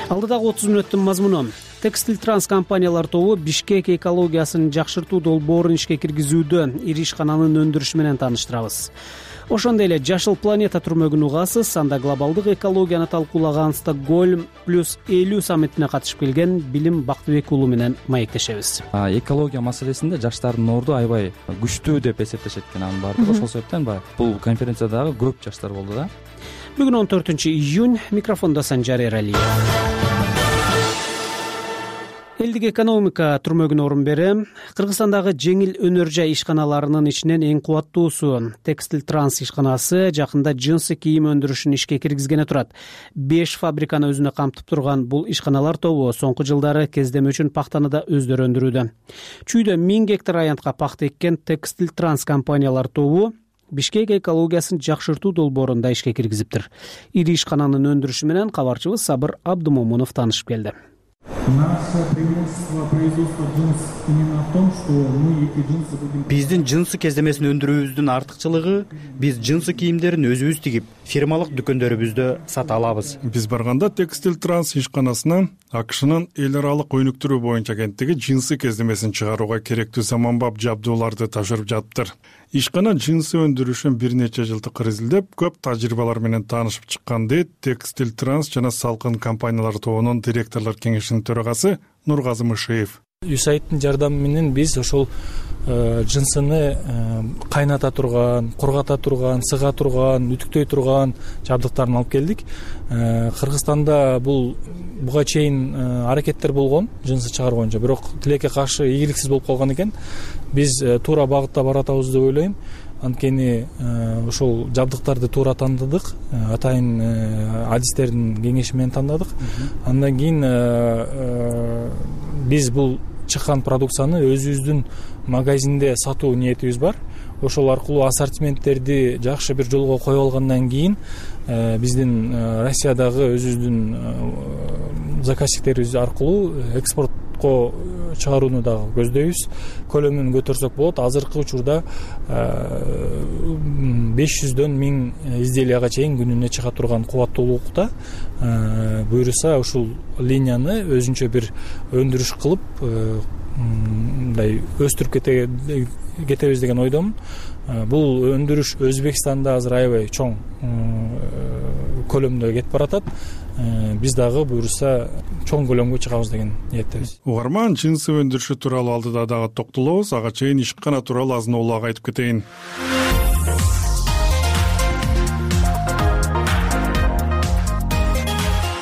Алдыдагы 30 мүнөттүн мазмуну: Текстиль Транс компаниялар тобу Бишкек экологиясын жакшыртуу долбоорун ишке киргизүүдө ири ишкананын өндүрүшү менен тааныштырабыз. Ошондой эле Жашыл планета түрмөгүн угасыз. Анда глобалдык экологияны талкуулаган Стокгольм +50 саммитине катышып келген Билим Бактыбек уулу менен маектешебиз. Экология маселесинде жаштардын орду аябай күчтүү деп эсептешет экен анын баардыгы. Ошол себептен бул конференциядагы көп жаштар болду да. Бүгүн 14-июнь. Микрофондо Санжар Эралиев. Элдик экономика түрмөгүнө орун берем. Кыргызстандагы жеңил өнөр жай ишканаларынын ичинен эң кубаттуусу Текстиль Транс ишканасы жакында жынсы кийим өндүрүшүн ишке киргизгене турат. 5 фабриканы өзүнө камтып турган бул ишканалар тобу соңку жылдары кездеме үчүн пахтаны да өздөрү өндүрүүдө. Чүйдө 1000 гектар аянтка пахта эккен Текстиль Транс компаниялар тобу Бишкек экологиясын жакшыртуу долбоорунда ишке киргизиптир. Ири ишкананын өндүрүшү менен кабарчыбыз Сабыр Абдымомунов таанышып келди. Наше преимущество производства джинс именно в том, что мы эти джинсы будем... Биздин джинсы кездемесин өндүрүүбүздүн артыкчылыгы биз джинсы кийимдерин өзүбүз тигип, фирмалык дүкөндөрүбүздө сата алабыз. Биз барганда Текстиль Транс ишканасына АКШнын эл аралык өнүктүрүү боюнча агенттиги джинсы кездемесин чыгарууга керектүү заманбап жабдууларды тапшырып жатыптыр. Ишкана джинсы өндүрүшүн бир нече жылдык изилдеп, көп тажрыйбалар менен таанышып чыккан дейт Текстиль Транс жана Салкын компаниялар тобунун директорлор кеңешинин төрагасы Нургазы Мышиев. USAID жардамы менен биз ошол джинсыны кайната турган, кургата турган, сыга турган, үтүктөй турган жабдыктарын алып келдик. Кыргызстанда буга чейин аракеттер болгон джинсы чыгаруу боюнча, бирок тилекке каршы ийгиликсиз болуп калган экен. Биз туура багытта баратабыз деп ойлойм. Анткени ошол жабдыктарды туура тандадык, атайын адистердин кеңеши менен тандадык. Андан кийин биз бул чыккан продукцияны өзүбүздүн магазинде сатуу ниетибиз бар. Ошол аркылуу ассортименттерди жакшы бир жолго коюп алгандан кийин биздин Россиядагы өзүбүздүн заказчиктерибиз аркылуу экспортко чыгарууну дагы көздөйбүз. Көлөмүн көтөрсөк болот. Азыркы учурда 500дөн 1000 изделияга чейин күнүнө чыга турган кубаттуулукта. Буюрса ушул линияны өзүнчө бир өндүрүш кылып мындай өстүрүп кетебиз деген ойдомун. Бул өндүрүш Өзбекстанда азыр аябай чоң көлөмдө кетип баратат. Биз дагы буюрса чоң көлөмгө чыгабыз деген ниеттебиз. Угарман джинсы өндүрүшү тууралуу алдыда дагы токтолобуз. Ага чейин ишкана тууралуу азын-оолак айтып кетейин.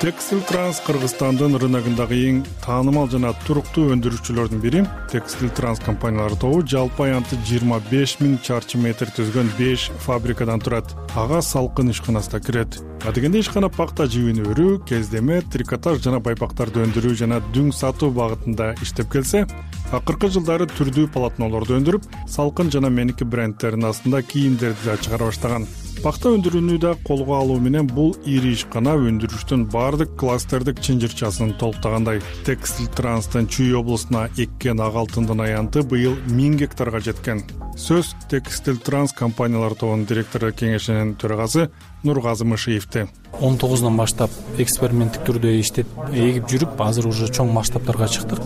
Текстиль Транс Кыргызстандын рыногундагы эң таанымал жана туруктуу өндүрүүчүлөрдүн бири. Текстиль Транс компаниялар тобу жалпы аянты 25 000 чарчы метр түзгөн 5 фабрикадан турат. Ага Салкын ишканасы да кирет. Адегенде ишкана пакта жибин өрүү, кездеме, трикотаж жана байпактарды өндүрүү жана дүң сатуу багытында иштеп келсе, акыркы жылдары түрдүү полотнолорду өндүрүп, Салкын жана Меники брендтеринин астында кийимдерди да чыгара баштаган. Пакта өндүрүүнү да колго алуу менен бул ири ишкана өндүрүштүн баардык кластердик чынжырчасын толуктагандай. Текстиль Транстын Чүй облусуна эккен ак алтындын аянты быйыл 1000 гектарга жеткен. Сөз Текстиль Транс компаниялар тобунун директору кеңешинин төрагасы Нургазы Мышиевде. 19-нан баштап эксперименттик түрдө иштеп эгип жүрүп, азыр уже чоң масштабтарга чыктык.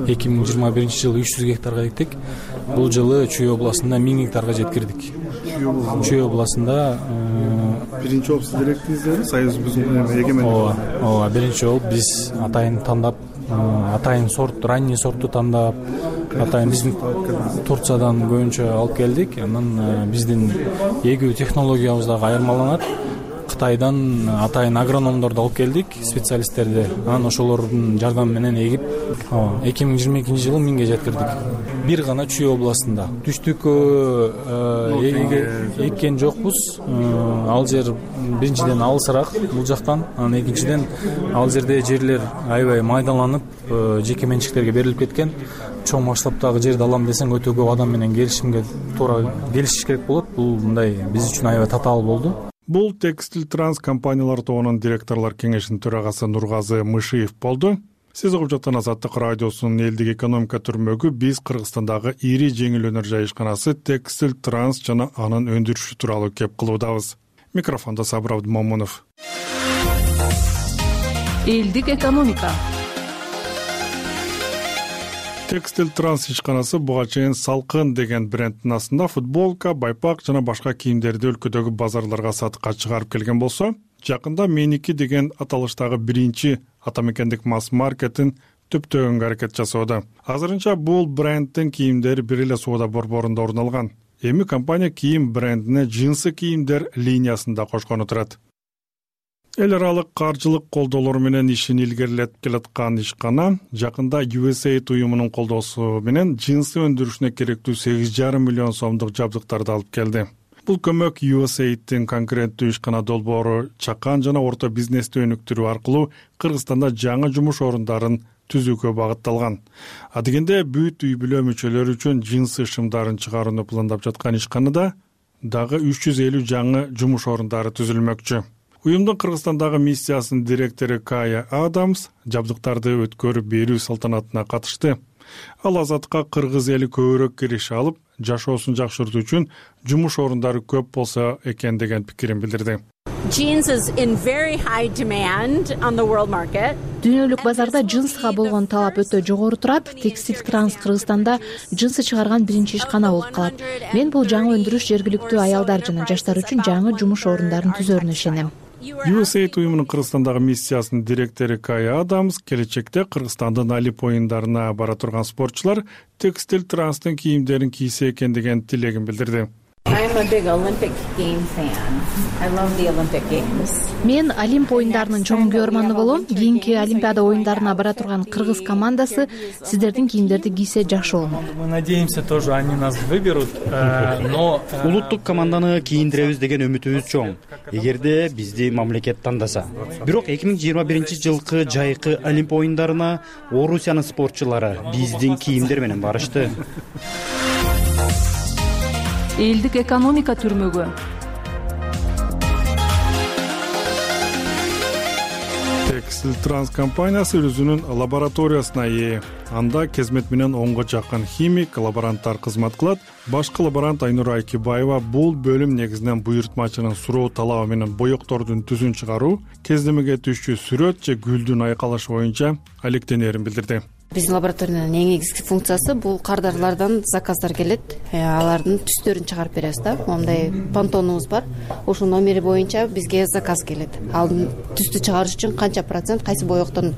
2021-жылы 300 гектарга эктик. Бул жылы Чүй областында 1000 гектарга жеткирдик. Чүй областында биринчи болуп сиздер эктиңиздер, союзубуздун эгемендиги. Ооба, биринчи болуп биз атайын тандап, атайын сорт, ранний сортту тандап, атайын биздин Турциядан көбүнчө алып келдик. Анан биздин эгүү технологиябыз дагы айырмаланат. Кытайдан атайын агрономдорду алып келдик, специалисттерди. Анан ошолордун жардамы менен эгип 2022-жылы 1000ге жеткирдик. Бир гана Чүй областында. Түштүккө эккен жокпуз. Ал жер биринчиден алысыраак бул жактан, анан экинчиден ал жерде жерлер аябай майдаланып, жеке менчиктерге берилип кеткен. Чоң масштабтагы жерди алам десең өтө көп адам менен келишимге туура келишиш керек болот. Бул мындай биз үчүн аябай татаал болду. Бул Текстиль Транс компаниялар тобунун директорлор кеңешинин төрагасы Нургазы Мышиев болду. Сиз угуп жаткан Азаттык радиосунун элдик экономика түрмөгү биз Кыргызстандагы ири жеңил өнөр жайышканасы Текстиль Транс жана анын өндүрүшү тууралуу кеп кылуудабыз. Микрофондо Сабыр Абдымомунов. Элдик экономика. Текстиль Транс ишканасы буга чейин Салкын деген брендтин астында футболка, байпак жана башка кийимдерди өлкөдөгү базарларга сатыкка чыгарып келген болсо, жакында Меники деген аталыштагы биринчи атамекендик масс-маркетин төптөгөнгө аракет жасоодо. Азырынча бул брендтин кийимдери бир эле соода борборунда орун алган. Эми компания кийим брендине джинсы кийимдер линиясын да кошкону турат. Эл аралык каржылык колдоолор менен ишин илгерилетип келаткан ишкана жакында USAID уюмунун колдоосу менен джинсы өндүрүшүнө керектүү 8,5 миллион сомдук жабдыктарды алып келди. Бул көмөк USAID'тин конкуренттүү ишкана долбоору чакан жана орто бизнести өнүктүрүү аркылуу Кыргызстанда жаңы жумуш орундарын түзүүгө багытталган. Адегенде бүт үй бүлө мүчөлөрү үчүн джинсы шымдарын чыгарууну пландап жаткан ишканада дагы 350 жаңы жумуш орундары түзүлмөкчү. Уюмдун Кыргызстандагы миссиясынын директору Кая Адамс жабдыктарды өткөрүп берүү салтанатына катышты. Ал Азатка кыргыз эли көбүрөөк кириш алып, жашоосун жакшыртуу үчүн жумуш орундары көп болсо экен деген пикирин билдирди. Jeans is in very high demand on the world market. Дүйнөлүк базарда джинсга болгон талап өтө жогору турат. Текстиль Транс Кыргызстанда джинсы чыгарган биринчи ишкана болуп калат. Мен бул жаңы өндүрүш жергиликтүү аялдар жана жаштар үчүн жаңы жумуш орундарын түзөрүнө ишенем. USAID уюмунун Кыргызстандагы миссиясынын директору Кая Адамс келечекте Кыргызстандын Олимп оюндарына бара турган спортчулар Текстиль Транстын кийимдерин кийсе экен деген тилегин билдирди. I'm a big Olympic game fan. I love the Olympic Games. Мен Олимп оюндарынын чоң көрманы болом. Кийинки Олимпиада оюндарына бара турган кыргыз командасы сиздердин кийимдерди кийсе жакшы болмок. Мы надеемся тоже они нас выберут, но улуттук команданы кийиндиребиз деген үмүтүбүз чоң. Эгерде бизди мамлекет тандаса. Бирок 2021-жылкы жайкы Олимп оюндарына Орусиянын спортчулары биздин кийимдер менен барышты. Элдик экономика түрмөгү. Текстиль Транс компаниясы өзүнүн лабораториясына ээ. Анда кезмет менен 10га жакын химик, лаборанттар кызмат кылат. Башкы лаборант Айнура Айкибаева бул бөлүм негизинен буйртмачынын суроо талабы менен боектордун түзүн чыгаруу, кездемеге түшчү сүрөт же гүлдүн айкалышы боюнча алектенерин билдирди. Биздин лабораториянын эң негизги функциясы бул кардарлардан заказдар келет, алардын түстөрүн чыгарып беребиз да. Мондай пантонубуз бар. Ошол номери боюнча бизге заказ келет. Ал түстү чыгарыш үчүн канча процент кайсы боектон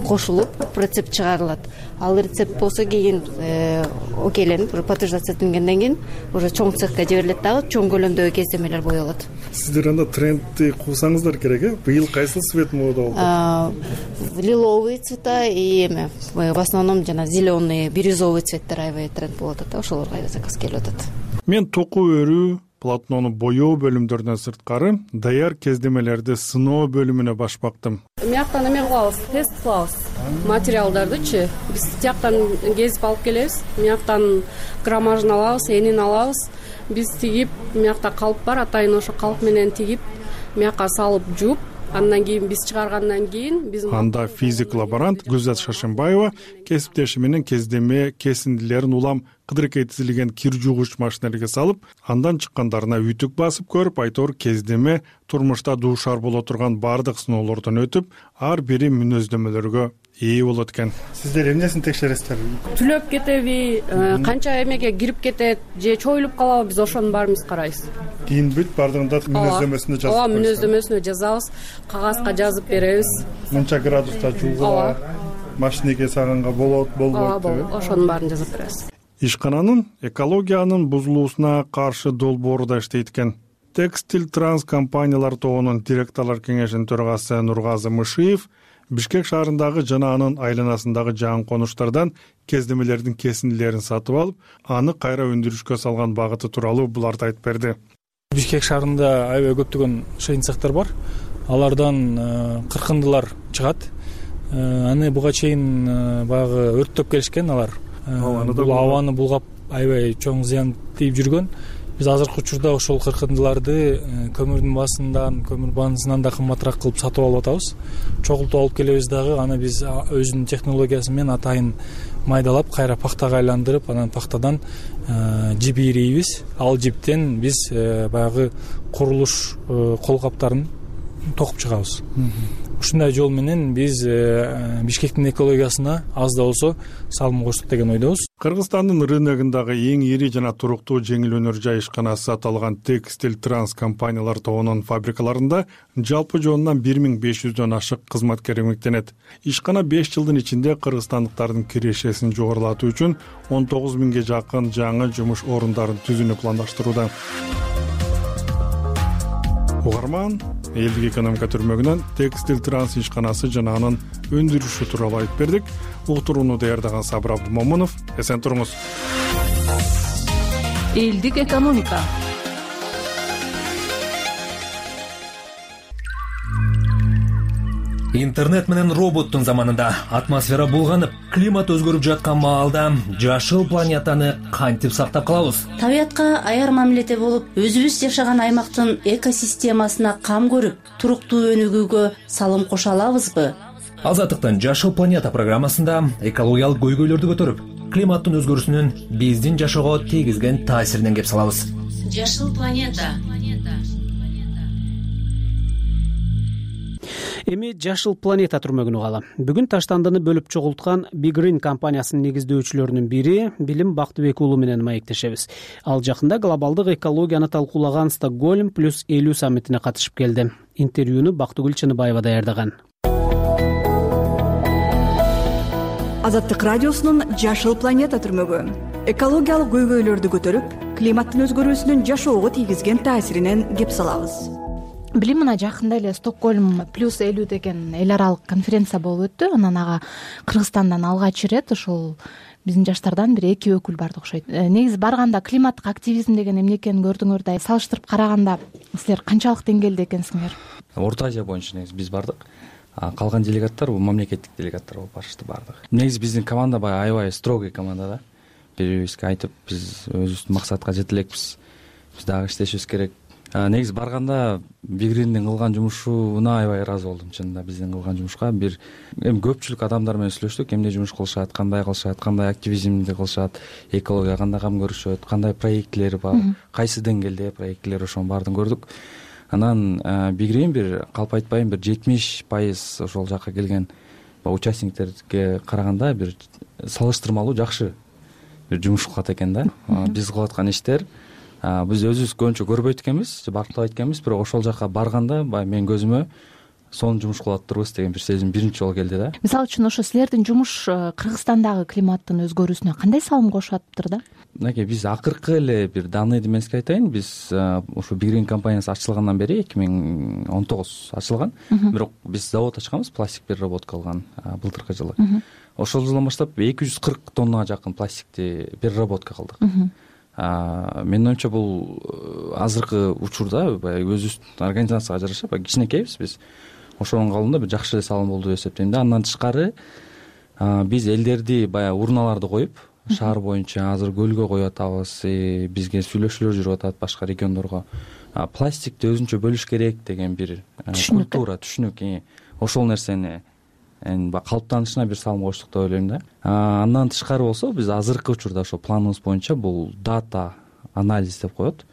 кошулуп рецепт чыгарылат. Ал рецепт болсо кийин окейленип, подтверждация этилгенден кийин уже чоң цехка жиберилет дагы, чоң көлөмдөгү кездемелер боелот. Сиздер анда трендти куусаңыздар керек, э? Быйыл кайсы цвет мода болду? Лиловый цвета и в основном жана зеленый, бирюзовый цветтер аябай тренд болуп атат. Ошолорго аябай заказ келип атат. Мен току өрүү, полотнону боёо бөлүмдөрүнөн сырткары даяр кездемелерди сыноо бөлүмүнө башпактым. Мияктан эме кылабыз, тест кылабыз. Материалдардычы биз тияктан кезип алып келебиз. Мияктан граммажын алабыз, энин алабыз. Биз тигип, миякта калып бар, атайын ошо калып менен тигип, миякка салып жууп, андан кийин биз чыгаргандан кийин биз анда физик лаборант Гүлзат Шашимбаева кесиптеши менен кездеме кесиндилерин улам кыдыркей тизилген кир жуугуч машинелерге салып, андан чыккандарына үтүк басып көрүп, айтор кездеме турмушта дуушар боло турган бардык сыноолордон өтүп, ар бири мүнөздөмөлөргө ээ болот экен. Сиздер эмнесин текшересиздер? Түлөп кетеби, канча эмеге кирип кетет же чоюлуп калабы, биз ошонун баарын биз карайбыз. Кийин бүт бардыгында мүнөздөмөсүнө жазып коебуз. Мүнөздөмөсүнө жазабыз, кагазга жазып беребиз. Мынча градуста жуугула, машинеге саганга болот, болбойт деп. Ошонун баарын жазып беребиз. Ишкананын экологиянын бузулуусуна каршы долбоору да иштейт экен. Текстиль Транс компаниялар тобунун директорлор кеңешинин төрагасы Нургазы Мышиев Бишкек шаарындагы жана анын айланасындагы жаңы конуштардан кездемелердин кесиндилерин сатып алып, аны кайра өндүрүшкө салган багыты тууралуу буларды айтып берди. Бишкек шаарында аябай көптөгөн шейин цехтер бар. Алардан кыркындылар чыгат. Аны буга чейин баягы өрттөп келишкен алар. Бул абаны булгап аябай чоң зыян тийип жүргөн. Биз азыркы учурда ошол кыркындыларды көмүрдүн басынан, көмүр баанысынан да кымбатыраак кылып сатып алып атабыз. Чогултуп алып келебиз дагы, аны биз өзүнүн технологиясы менен атайын майдалап, кайра пахтага айландырып, анан пахтадан жип ийрейбиз. Ал жиптен биз баягы курулуш колкаптарын токуп чыгабыз. Ушундай жол менен биз Бишкектин экологиясына аз да болсо салым коштук деген ойдобуз. Кыргызстандын рыногундагы эң ири жана туруктуу жеңил өнөр жай ишканасы аталган Текстиль Транс компаниялар тобунун фабрикаларында жалпы жоонунан 1500дөн ашык кызматкер эмгектенет. Ишкана 5 жылдын ичинде кыргызстандыктардын кирешесин жогорулатуу үчүн 19 миңге жакын жаңы жумуш орундарын түзүүнү пландаштырууда. Угарман, элдик экономика түрмөгүнөн Текстиль Транс ишканасы жана анын өндүрүшү тууралуу айтып бердик. Уктурууну даярдаган Сабыр Абдумомунов. Эсен туруңуз. Элдик экономика. Интернет менен роботтун заманында атмосфера булганып, климат өзгөрүп жаткан маалда жашыл планетаны кантип сактап калабыз? Табиятка аяр мамиледе болуп, өзүбүз жашаган аймактын экосистемасына кам көрүп, туруктуу өнүгүүгө салым кошо алабызбы? Азаттыктын Жашыл планета программасында экологиялык көйгөйлөрдү көтөрүп, климаттын өзгөрүүсүнүн биздин жашоого тийгизген таасиринен кеп салабыз. Жашыл планета. Эми Жашыл планета түрмөгүн угалы. Бүгүн Таштандыны бөлүп чогулткан Big Green компаниясынын негиздөөчүлөрүнүн бири Билим Бактыбек уулу менен маектешебиз. Ал жакында глобалдык экологияны талкуулаган Стокгольм +50 саммитине катышып келди. Интервьюну Бактыгүл Чыныбаева даярдаган. Азаттык радиосунун Жашыл планета түрмөгү экологиялык көйгөйлөрдү көтөрүп, климаттын өзгөрүүсүнүн жашоого тийгизген таасиринен кеп салабыз. Билим мына жакында эле Стокгольм +50 деген эл аралык конференция болуп өттү. Анан ага Кыргызстандан алгач ирет ошол биздин жаштардан бир 2 өкүл барды окшойт. Негизи барганда климаттык активизм деген эмне экенин көрдүңөр да, салыштырып караганда силер канчалык деңгээлде экенсиңер? Орто Азия боюнча негизи биз бардык. Калган делегаттар бул мамлекеттик делегаттар болуп барышты бардыгы. Негизи биздин команда баягы аябай строгий команда да. Бири-бирибизге айтып, биз өзүбүздүн максатка жете элекпиз. Биз дагы иштешибиз керек. Негизи барганда Big Green'дин кылган жумушуна аябай ыраазы болдум. Чынында биздин кылган жумушка бир эми көпчүлүк адамдар менен сүйлөштүк, эмне жумуш кылышат, кандай кылышат, кандай активизмди кылышат, экологияга кандай кам көрүшөт, кандай проекттери бар, кайсы деңгээлде проекттер, ошонун баарын көрдүк. Анан Big Green бир калп айтпайм, бир 70% ошол жакка келген участниктерге караганда бир салыштырмалуу жакшы бир жумуш кылат экен да. Биз кылып аткан иштер биз өзүбүз көбүнчө көрбөйт экенбиз, бактылабайт экенбиз, бирок ошол жака барганда баягы менин көзүмө сонун жумуш кылып атыптырбыз деген бир сезим биринчи жолу келди да. Мисалы үчүн ошо силердин жумуш Кыргызстандагы климаттын өзгөрүүсүнө кандай салым кошуп атыптыр да? Мынакей биз акыркы эле бир данныйды мен сизге айтайын. Биз ошо Big Green компаниясы ачылгандан бери 2019 ачылган. Бирок биз завод ачканбыз, пластик переработка кылган былтыркы жылы. Ошол жылдан баштап 240 тоннага жакын пластикти переработка кылдык. Менин оюмча бул азыркы учурда баягы өзүбүздүн организацияга жараша баягы кичинекейбиз биз. Ошонун калыбында бир жакшы эле салым болду деп эсептейм да. Андан тышкары биз элдерди баягы урналарды коюп, шаар боюнча азыр көлгө коюп атабыз, бизге сүйлөшүүлөр жүрүп атат башка региондорго. Пластикти өзүнчө бөлүш керек деген бир культура, түшүнүк. Ошол нерсени калыптанышына бир салым коштук деп ойлойм да. Андан тышкары болсо биз азыркы учурда ошо планыбыз боюнча бул дата анализ деп коет.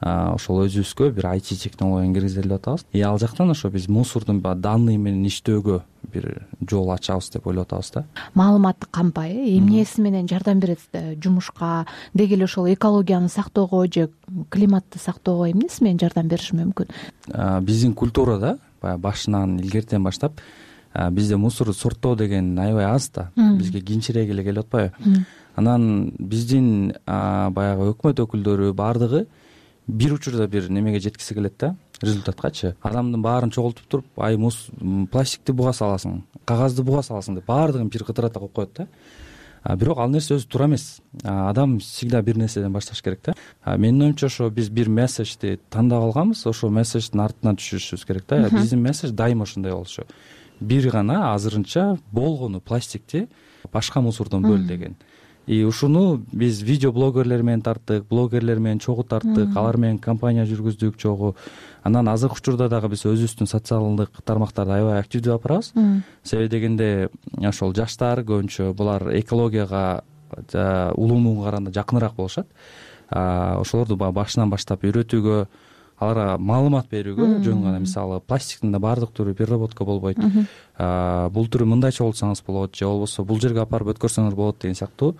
Ошол өзүбүзгө бир IT технологияны киргизели деп атабыз. Ал жактан ошо биз мусордун данный менен иштөөгө бир жол ачабыз деп ойлоп атабыз да. Маалыматтык кампай эмнеси менен жардам берет жумушка, деги эле ошол экологияны сактоого же климатты сактоого эмнеси менен жардам бериши мүмкүн? Биздин культурада баягы башынан илгертен баштап бизде мусорду сорттоо деген аябай аз да. Бизге кийинчерээк эле келип атпайбы? Анан биздин баягы өкмөт өкүлдөрү бардыгы бир учурда бир немеге жеткиси келет да, результаткачы. Адамдын баарын чогултуп туруп, пластикти буга саласың, кагазды буга саласың деп баардыгын бир кытырата коюп коет да. Бирок ал нерсе өзү туура эмес. Адам всегда бир нерседен башташ керек да. Менин оюмча ошо биз бир месседжди тандап алганбыз, ошол месседждин артынан түшүшүбүз керек да. Биздин месседж дайыма ошондой болчу. Бир гана азырынча болгону пластикти башка мусордон бөл деген. И ушуну биз видео блогерлер менен тарттык, блогерлер менен чогуу тарттык, алар менен компания жүргүздүк чогуу. Анан азыркы учурда дагы биз өзүбүздүн социалдык тармактарды аябай активдүү алып барабыз. Себеби дегенде ошол жаштар көбүнчө булар экологияга улуумуга караганда жакыныраак болушат. Ошолорду башынан баштап үйрөтүүгө, аларга маалымат берүүгө, жөн гана мисалы пластиктин да баардык түрү переработка болбойт. Бул түрү мындай чогултсаңыз болот, же болбосо бул жерге алып барып өткөрсөңөр болот деген сыяктуу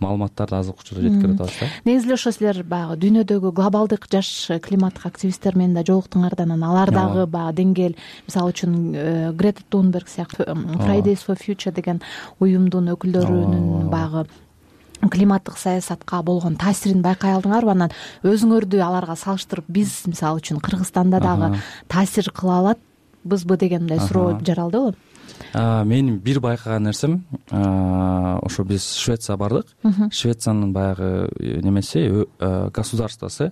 маалыматтарды азыркы учурда жеткирип атабыз да. Негизи эле ошо силер баягы дүйнөдөгү глобалдык жаш климаттык активисттер менен да жолуктуңар да, анан алар дагы баягы деңгээл, мисалы үчүн Грета Тунберг сыяктуу Fridays for Future деген уюмдун өкүлдөрүнүн баягы климаттык саясатка болгон таасирин байкай алдыңарбы? Анан өзүңөрдү аларга салыштырып, биз мисалы үчүн Кыргызстанда дагы таасир кыла алатбызбы деген мындай суроо жаралдыбы? Менин бир байкаган нерсем, ошо биз Швецияга бардык. Швециянын баягы немеси, государствосы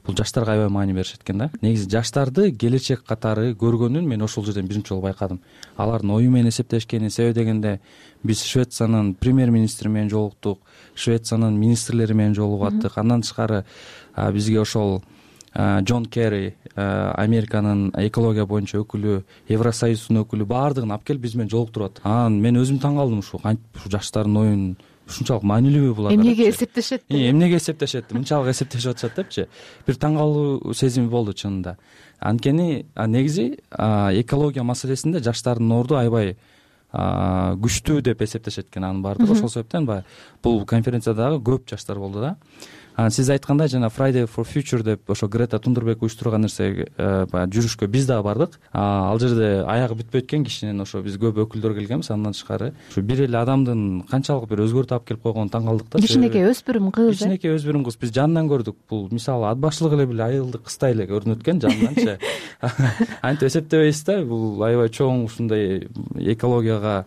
бул жаштарга аябай маани беришет экен да. Негизи жаштарды келечек катары көргөнүн мен ошол жерден биринчи жолу байкадым. Алардын ою менен эсептешкени, себеби дегенде биз Швециянын премьер-министри менен жолуктук, Швециянын министрлери менен жолугуп аттык. Андан тышкары бизге ошол Джон Керри, Американын экология боюнча өкүлү, Евросоюздун өкүлү баардыгын алып келип биз менен жолуктуруп аттык. Анан мен өзүм таң калдым, ушу кантип ушу жаштардын оюн ушунчалык маанилүүбү булар? Эмнеге эсептешет? Эмнеге эсептешет? Мынчалык эсептешип атышат депчи. Бир таң калуу сезими болду чынында. Анткени негизи экология маселесинде жаштардын орду аябай күчтүү деп эсептешет экен анын баардыгы. Ошол себептен баягы бул конференциядагы көп жаштар болду да. Сиз айткандай жана Friday for Future деп ошо Грета Тунберг уюштурган нерсе баягы жүрүшкө биз дагы бардык. Ал жерде аягы бүтпөйт экен кишинин, ошо биз көп өкүлдөр келгенбиз. Андан тышкары ушу бир эле адамдын канчалык бир өзгөртүп алып келип койгонун таң калдык да. Кичинекей өспүрүм кыз. Кичинекей өспүрүм кыз. Биз жанынан көрдүк. Бул мисалы ат башлык эле бир айылдык кыздай эле көрүнөт экен жанданчы. Антип эсептебейсиз да, бул аябай чоң ушундай экологияга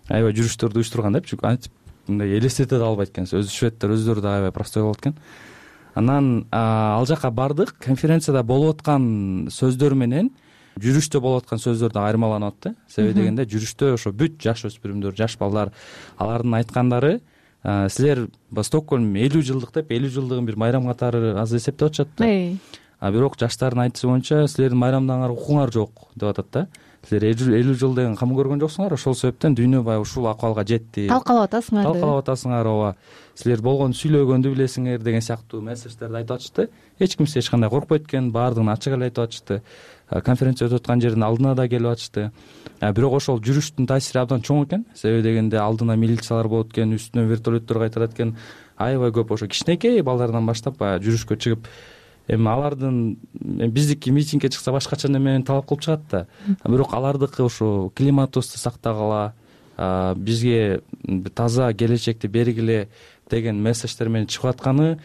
аябай жүрүштөрдү уюштурган депчи. Антип мындай элестете да албайт экенсиз. Өзү шведтер өздөрү да аябай простой болот экен. Анан ал жака бардык. Конференцияда болуп аткан сөздөр менен жүрүштө болуп аткан сөздөр да айырмаланып атты. Себеби дегенде жүрүштө ошо бүт жаш өспүрүмдөр, жаш балдар алардын айткандары силер Стокгольм 50 жылдык деп 50 жылдыгын бир майрам катары азыр эсептеп атышат да. Бирок жаштардын айтышы боюнча силердин майрамдооңор укуңар жок деп атат да. Силер 50 жыл деген кам көргөн жоксуңар, ошол себептен дүйнө баягы ушул акыбалга жетти. Талкалап атасыңар. Ооба. Силер болгону сүйлөгөндү билесиңер деген сыяктуу месседждерди айтып атышты. Эч ким эч кандай коркпойт экен, баардыгын ачык эле айтып атышты. Конференция өтүп аткан жердин алдына да келип атышты. Бирок ошол жүрүштүн таасири абдан чоң экен. Себеби дегенде алдына милициялар болот экен, үстүнөн вертолеттор кайтарат экен. Аябай көп ошо кичинекей балдардан баштап баягы жүрүшкө чыгып, эми алардын биздики митингге чыкса башкача неме менен талап кылып чыгат да. Бирок алардыкы ушу климатыбызды сактагыла, бизге таза келечекти бергиле деген месседждер менен чыгып атканы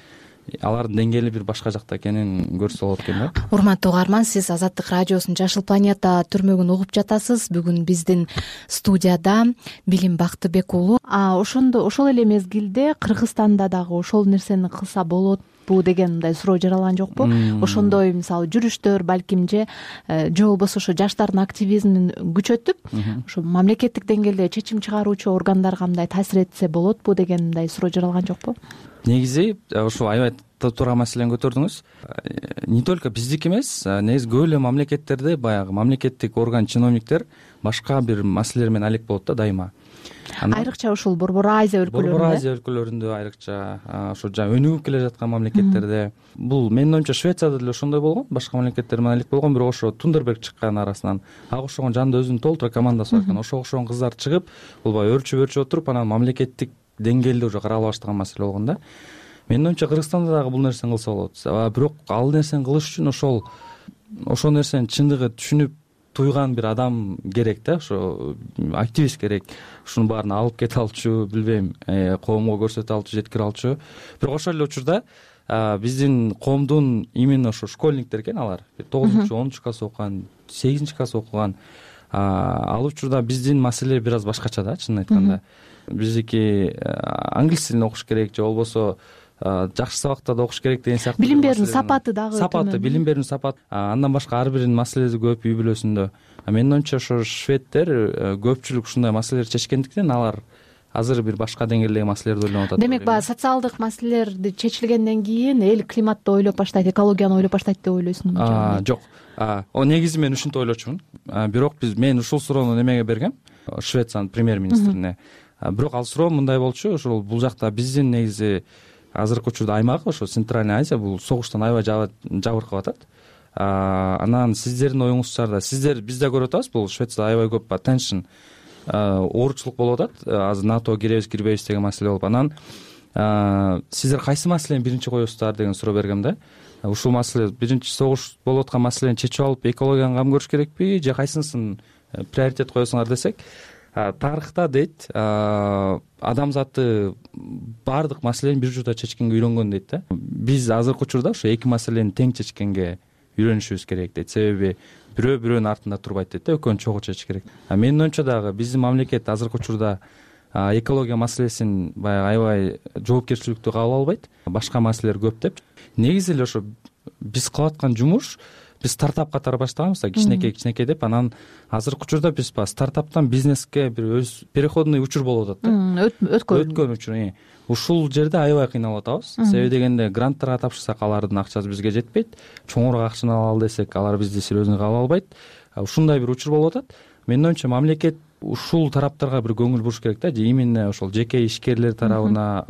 алардын деңгээли бир башка жакта экенин көрсө болот экен да. Урматтуу угарман, сиз Азаттык радиосунун Жашыл планета түрмөгүн угуп жатасыз. Бүгүн биздин студияда Билим Бактыбек уулу. Ошол эле мезгилде Кыргызстанда дагы ошол нерсени кылса болотпу деген мындай суроо жаралган жокпу? Ошондой мисалы жүрүштөр балким же болбосо ошо жаштардын активизмин күчөтүп, ошо мамлекеттик деңгээлде чечим чыгаруучу органдарга мындай таасир этсе болотпу деген мындай суроо жаралган жокпу? Негизи ушул аябай туура маселени көтөрдүңүз. Не только биздики эмес, негизи көп эле мамлекеттерде баягы мамлекеттик орган чиновниктер башка бир маселелер менен алек болот да дайыма. Айрыкча ушул Борбор Азия өлкөлөрүндө. Борбор Азия өлкөлөрүндө айрыкча, ошо өнүгүп келе жаткан мамлекеттерде. Бул менин оюмча Швецияда деле ошондой болгон, башка мамлекеттер менен алек болгон, бирок ошо Тунберг чыккан арасынан ага окшогон жанында өзүнүн толтура командасы бар экен. Ошого окшогон кыздар чыгып, бул баягы өрчүп отуруп, анан мамлекеттик деңгээлде уже карала баштаган маселе болгон да. Менин оюмча Кыргызстанда дагы бул нерсени кылса болот. Бирок ал нерсени кылыш үчүн ошол нерсени чындыгы түшүнүп туйган бир адам керек да, ошо активист керек. Ушунун баарын алып кете алчу, билбейм, коомго көрсөтө алчу, жеткире алчу. Бирок ошол эле учурда биздин коомдун именно ошо школьниктер экен, алар 9-10 класс окуган, 8 класс окуган. Ал учурда биздин маселе бир аз башкача да, чынын айтканда. Биздики англис тилин окуш керек же болбосо жакшы сабактарда окуш керек деген сыяктуу. Билим берүүнүн сапаты дагы сапаты, билим берүүнүн сапаты. Андан башка ар биринин маселеси көп үй бүлөсүндө. Менин оюмча ошо шведтер көпчүлүк ушундай маселелерди чечкендиктен алар азыр бир башка деңгээлдеги маселелерди ойлонуп атат. Демек, баягы социалдык маселелерди чечилгенден кийин эл климатты ойлоп баштайт, экологияны ойлоп баштайт деп ойлойсуңбу? Жок. Негизи мен ушинтип ойлочумун. Бирок мен ушул суроону немеге бергем? Швециянын премьер-министрине. Бирок ал суроо мындай болчу, ошол бул жакта биздин негизи азыркы учурда аймак, ошо Центральный Азия бул согуштан аябай жабыркап атат. Анан сиздердин оюңузчарда, сиздер бизде көрүп атабыз, бул Швецияда аябай көп attention, ооручулук болуп атат. Азыр НАТО киребиз, кирбейбиз деген маселе болуп. Анан сиздер кайсы маселени биринчи коесуздар деген суроо бергем да. Ушул маселе биринчи согуш болуп аткан маселени чечип алып, экологияга кам көрүш керекпи же кайсынысын приоритет коесуңар десек, тарыхта дейт, адамзаты баардык маселени бир учурда чечкенге үйрөнгөн дейт да. Биз азыркы учурда ошо эки маселени тең чечкенге үйрөнүшүбүз керек дейт. Себеби бирөө бирөөнүн артында турбайт дейт да, экөөнү чогуу чечиш керек. Менин оюмча дагы биздин мамлекет азыркы учурда экология маселесин баягы аябай жоопкерчиликтүү кабыл албайт. Башка маселелер көп деп. Негизи эле ошо биз кылып аткан жумуш, биз стартап катары баштаганбыз да, кичинекей деп. Анан азыркы учурда биз стартаптан бизнеске бир өз переходный учур болуп атат да. Өткөн учур. Ушул жерде аябай кыйналып атабыз. Себеби дегенде гранттарга тапшырсак алардын акчасы бизге жетпейт. Чоңураак акчаны алалы десек алар бизди серьезный кабыл албайт. Ушундай бир учур болуп атат. Менин оюмча мамлекет ушул тараптарга бир көңүл буруш керек да. Именно ошол жеке ишкерлер тарабына,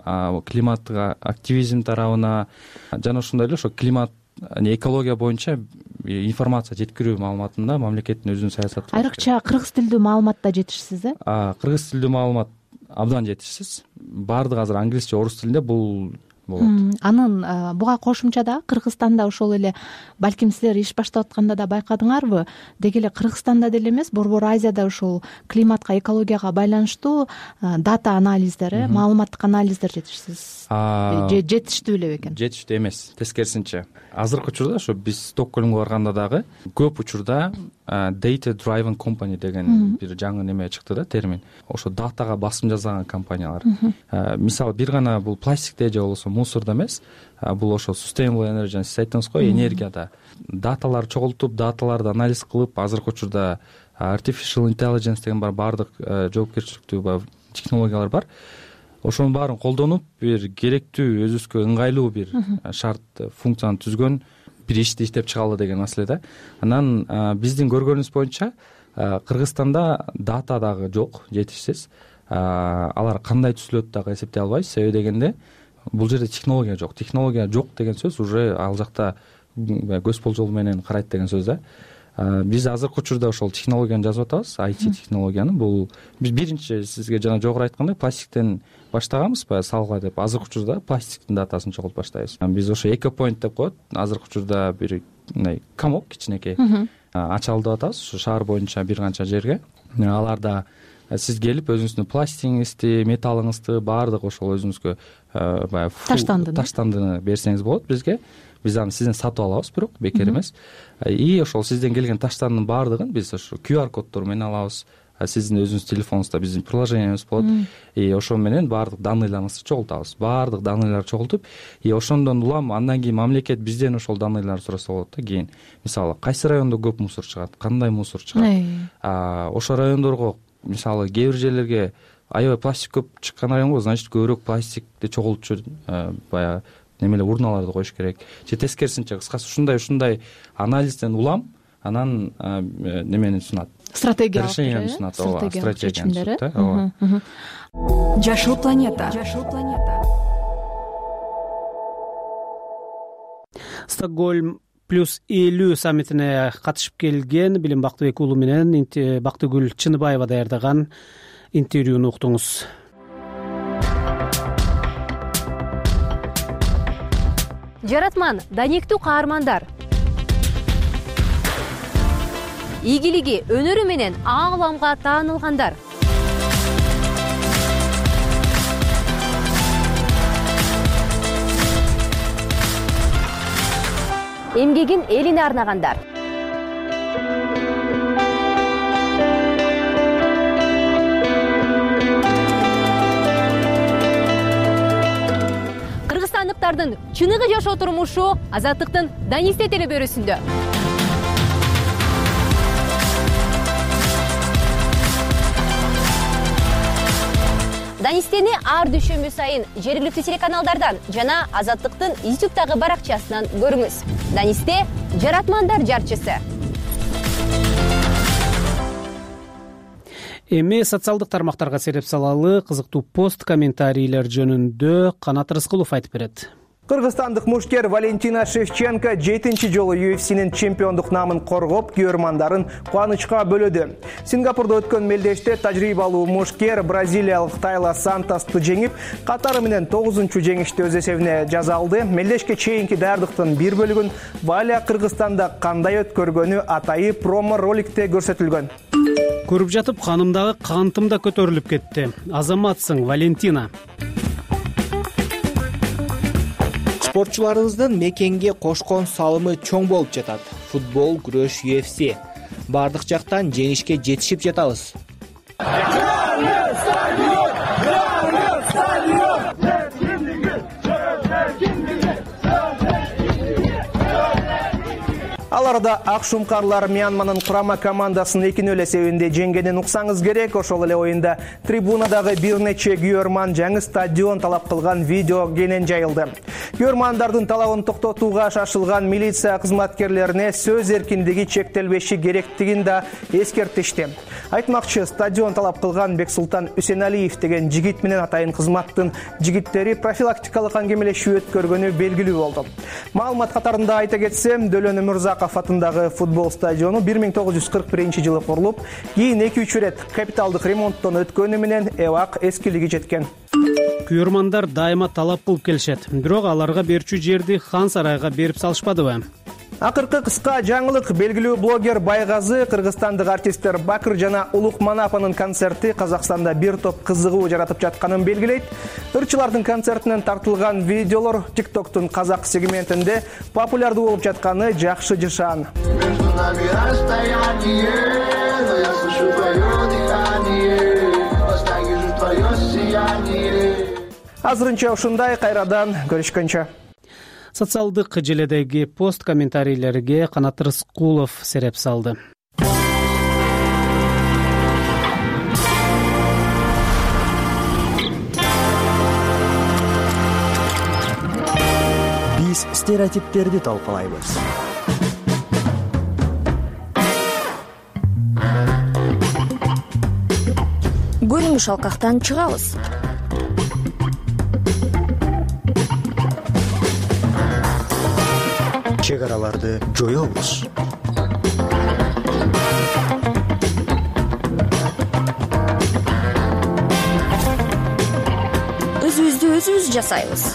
климаттык активизм тарабына жана ошондой эле ошо климат, экология боюнча информация жеткирүү маалыматында мамлекеттин өзүнүн саясаты. Айрыкча кыргыз тилдүү маалыматта жетишсиз, Кыргыз тилдүү маалымат абдан жетишсиз. Баардыгы азыр англис же орус тилинде бул болот. Анын буга кошумча да Кыргызстанда ошол эле балким силер иш баштап атканда да байкадыңарбы, деги эле Кыргызстанда деле эмес, Борбор Азияда ошол климатка, экологияга байланыштуу дата анализдер, маалыматтык анализдер жетишсиз. Жетиштүү эле бекен? Жетиштүү эмес, тескерисинче. Азыркы учурда ошо биз Стокгольмго барганда дагы көп учурда data driven company деген бир жаңы неме чыкты да, термин. Ошо датага басым жасаган компаниялар. Мисалы бир гана бул пластикте же болбосо мусордо эмес, бул ошо sustainable energy, сиз айттыңыз го, энергияда даталар чогултуп, даталарды анализ кылып, азыркы учурда artificial intelligence деген баардык жоопкерчиликтүү технологиялар бар. Ошонун баарын колдонуп, бир керектүү, өзүбүзгө ыңгайлуу бир шарт, функцияны түзгөн бир ишти иштеп чыгалы деген маселе да. Анан биздин көргөнүбүз боюнча Кыргызстанда дата дагы жок, жетишсиз. Алар кандай түзүлөт дагы эсептей албайбыз. Себеби дегенде бул жерде технология жок. Технология жок деген сөз уже ал жакта көз болжол менен карайт деген сөз да. Биз азыркы учурда ошол технологияны жазып атабыз, IT технологияны. Бул биз биринчи сизге жана жогору айткандай пластиктен баштаганбыз, баягы салга деп. Азыркы учурда пластиктин датасын чогултуп баштайбыз. Биз ошо экопоинт деп коет. Азыркы учурда бир мындай комок кичинекей ачалды деп атабыз. Ушу шаар боюнча бир канча жерге. Аларда сиз келип өзүңүздүн пластигиңизди, металлыңызды баардык ошол өзүңүзгө баягы таштандыны берсеңиз болот бизге. Биз аны сизден сатып алабыз, бирок бекер эмес. И ошол сизден келген таштандын баардыгын биз ошо QR коддор менен алабыз. Сиздин өзүңүздүн телефонуңузда биздин приложениябыз болот. И ошол менен баардык данныйларыңызды чогултабыз. Баардык данныйларды чогултуп, и ошондон улам андан кийин мамлекет бизден ошол данныйларды сураса болот да. Кийин мисалы кайсы райондо көп мусор чыгат, кандай мусор чыгат. Ошол райондорго мисалы кээ бир жерлерге аябай пластик көп чыккан районго, значит көбүрөөк пластикти чогултчу баягы немелер урналарды коюш керек. Же тескерисинче, кыскасы ушундай анализден улам анан немени сунат. Стратегия решенияны сунат, стратегияны сунат. Жашыл планета. Стокгольм +50 саммитине катышып келген Билим Бактыбек уулу менен Бактыгүл Чыныбаева даярдаган интервьюну уктуңуз. Жаратман, даниктүү каармандар. Ийгилиги, өнөрү менен ааламга таанылгандар. эмгегин элине арнагандар. Кыргызстандыктардын чыныгы жашоо турмушу Азаттыктын Данисте телебөрүсүндө. Данистени ар дүйшөмбү сайын жергиликтүү телеканалдардан жана Азаттыктын YouTube'дагы баракчасынан көрүңүз. Данисте жаратмандар жарчысы. Эми социалдык тармактарга сереп салалы кызыктуу пост комментарийлер жөнүндө Канат Рыскулов айтып берет. Кыргызстандык мушкер Валентина Шевченко 7-чи жолу UFC'нин чемпиондук намын коргоп, көрөрмандарын кубанычка бөлөдү. Сингапурда өткөн мелдеште тажрыйбалуу мушкер бразилиялык Тайла Сантосту жеңип, катары менен 9-чу жеңишти өз эсебине жаза алды. Мелдешке чейинки даярдыктын бир бөлүгүн Валя Кыргызстанда кандай өткөргөнү атайы промо роликте көрсөтүлгөн. Көрүп жатып, канымдагы кантым да көтөрүлүп кетти. Азаматсың, Валентина. Спортчуларыбыздын мекенге кошкон салымы чоң болуп жатат. Футбол, күрөш, UFC. Бардык жактан жеңишке жетишип жатабыз. Аларда ак шумкарлар Мьянманын курама командасын 2-0 эсебинде жеңгенин уксаңыз керек. Ошол эле оюнда трибунадагы бир нече күйөрман жаңы стадион талап кылган видео кенен жайылды. Күйөрмандардын талабын токтотууга шашылган милиция кызматкерлерине сөз эркиндиги чектелбеши керектигин да эскертишти. Айтмакчы, стадион талап кылган Бексултан Үсеналиев деген жигит менен атайын кызматтын жигиттери профилактикалык аңгемелешүү өткөргөнү белгилүү болду. Маалымат катарында айта кетсем, Дөлөн Өмүрзаков атындагы футбол стадиону 1941-жылы курулуп, кийин 2-3 ирет капиталдык ремонттон өткөнү менен эбак эскилиги жеткен. Күйөрмандар дайыма талап кылып келишет. Бирок аларга берчү жерди Хан сарайга берип салышпадыбы? Акыркы кыска жаңылык. Белгилүү блогер Байгазы, кыргызстандык артисттер Бакыр жана Улук Манапанын концерти Казакстанда бир топ кызыгуу жаратып жатканын белгилейт. Ырчылардын концертинен тартылган видеолор TikToктун казак сегментинде популярдуу болуп жатканы жакшы жышаан. Азырынча ушундай, кайрадан көрүшкөнчө. Социалдык желедеги пост комментарийлерге Канат Рыскулов сереп салды. Биз стереотиптерди талкалайбыз. Көрүнүш алкактан чыгабыз. Чек араларды жоёбуз. Өзүбүздү өзүбүз жасайбыз.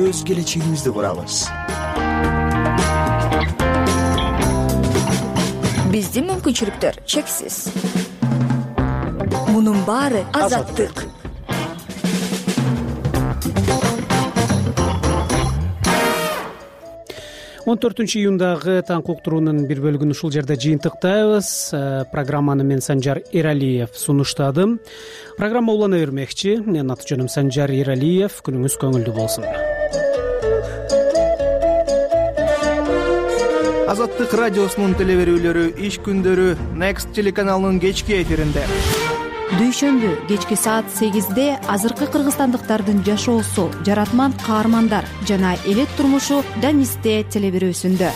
Өз келечегибизди курабыз. Биздин мүмкүнчүлүктөр чексиз. Мунун баары азаттык. 14-июндагы таң уктуруунун бир бөлүгүн ушул жерде жыйынтыктайбыз. Программаны мен Санжар Эралиев сунуштадым. Программа улана бермекчи. Менин аты жөнүм Санжар Эралиев. Күнүңүз көңүлдүү болсун. Азаттык радиосунун телеберүүлөрү иш күндөрү Next телеканалынын кечки эфиринде. Дүйшөмбү кечки саат 8-де азыркы кыргызстандыктардын жашоосу, жаратман каармандар жана элет турмушу Данисте телеберүүсүндө.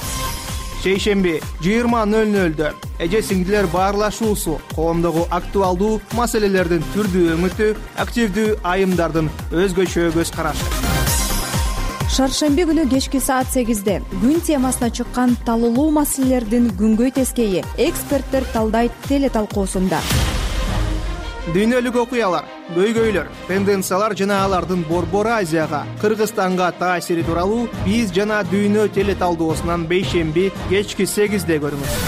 Шейшемби 20:00-дө эже сиңдилер баарлашуусу, коомдогу актуалдуу маселелердин түрдүү өңүтү, активдүү айымдардын өзгөчө көз карашы. Шаршемби күнү кечки саат 8-де күн темасына чыккан талуулуу маселелердин күнгөй тескейи эксперттер талдайт теле талкуусунда. Дүйнөлүк окуялар, көйгөйлөр, тенденциялар жана алардын Борбор Азияга, Кыргызстанга таасири тууралуу биз жана дүйнө теле талдоосунан бейшемби кечки 8-де көрүңүз.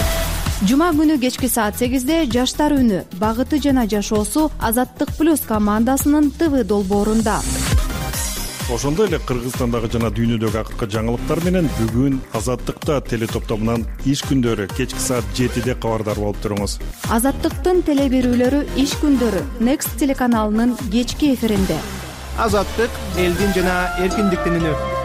Жума күнү кечки саат 8-де жаштар үнү, багыты жана жашоосу Азаттык плюс командасынын ТВ долбоорунда. ошондой эле Кыргызстандагы жана дүйнөдөгү акыркы жаңылыктар менен бүгүн Азаттыкта телетоптомунан иш күндөрү кечки саат 7-де кабардар болуп туруңуз. Азаттыктын теле берүүлөрү иш күндөрү Next телеканалынын кечки эфиринде. Азаттык элдин жана эркиндиктин үнү.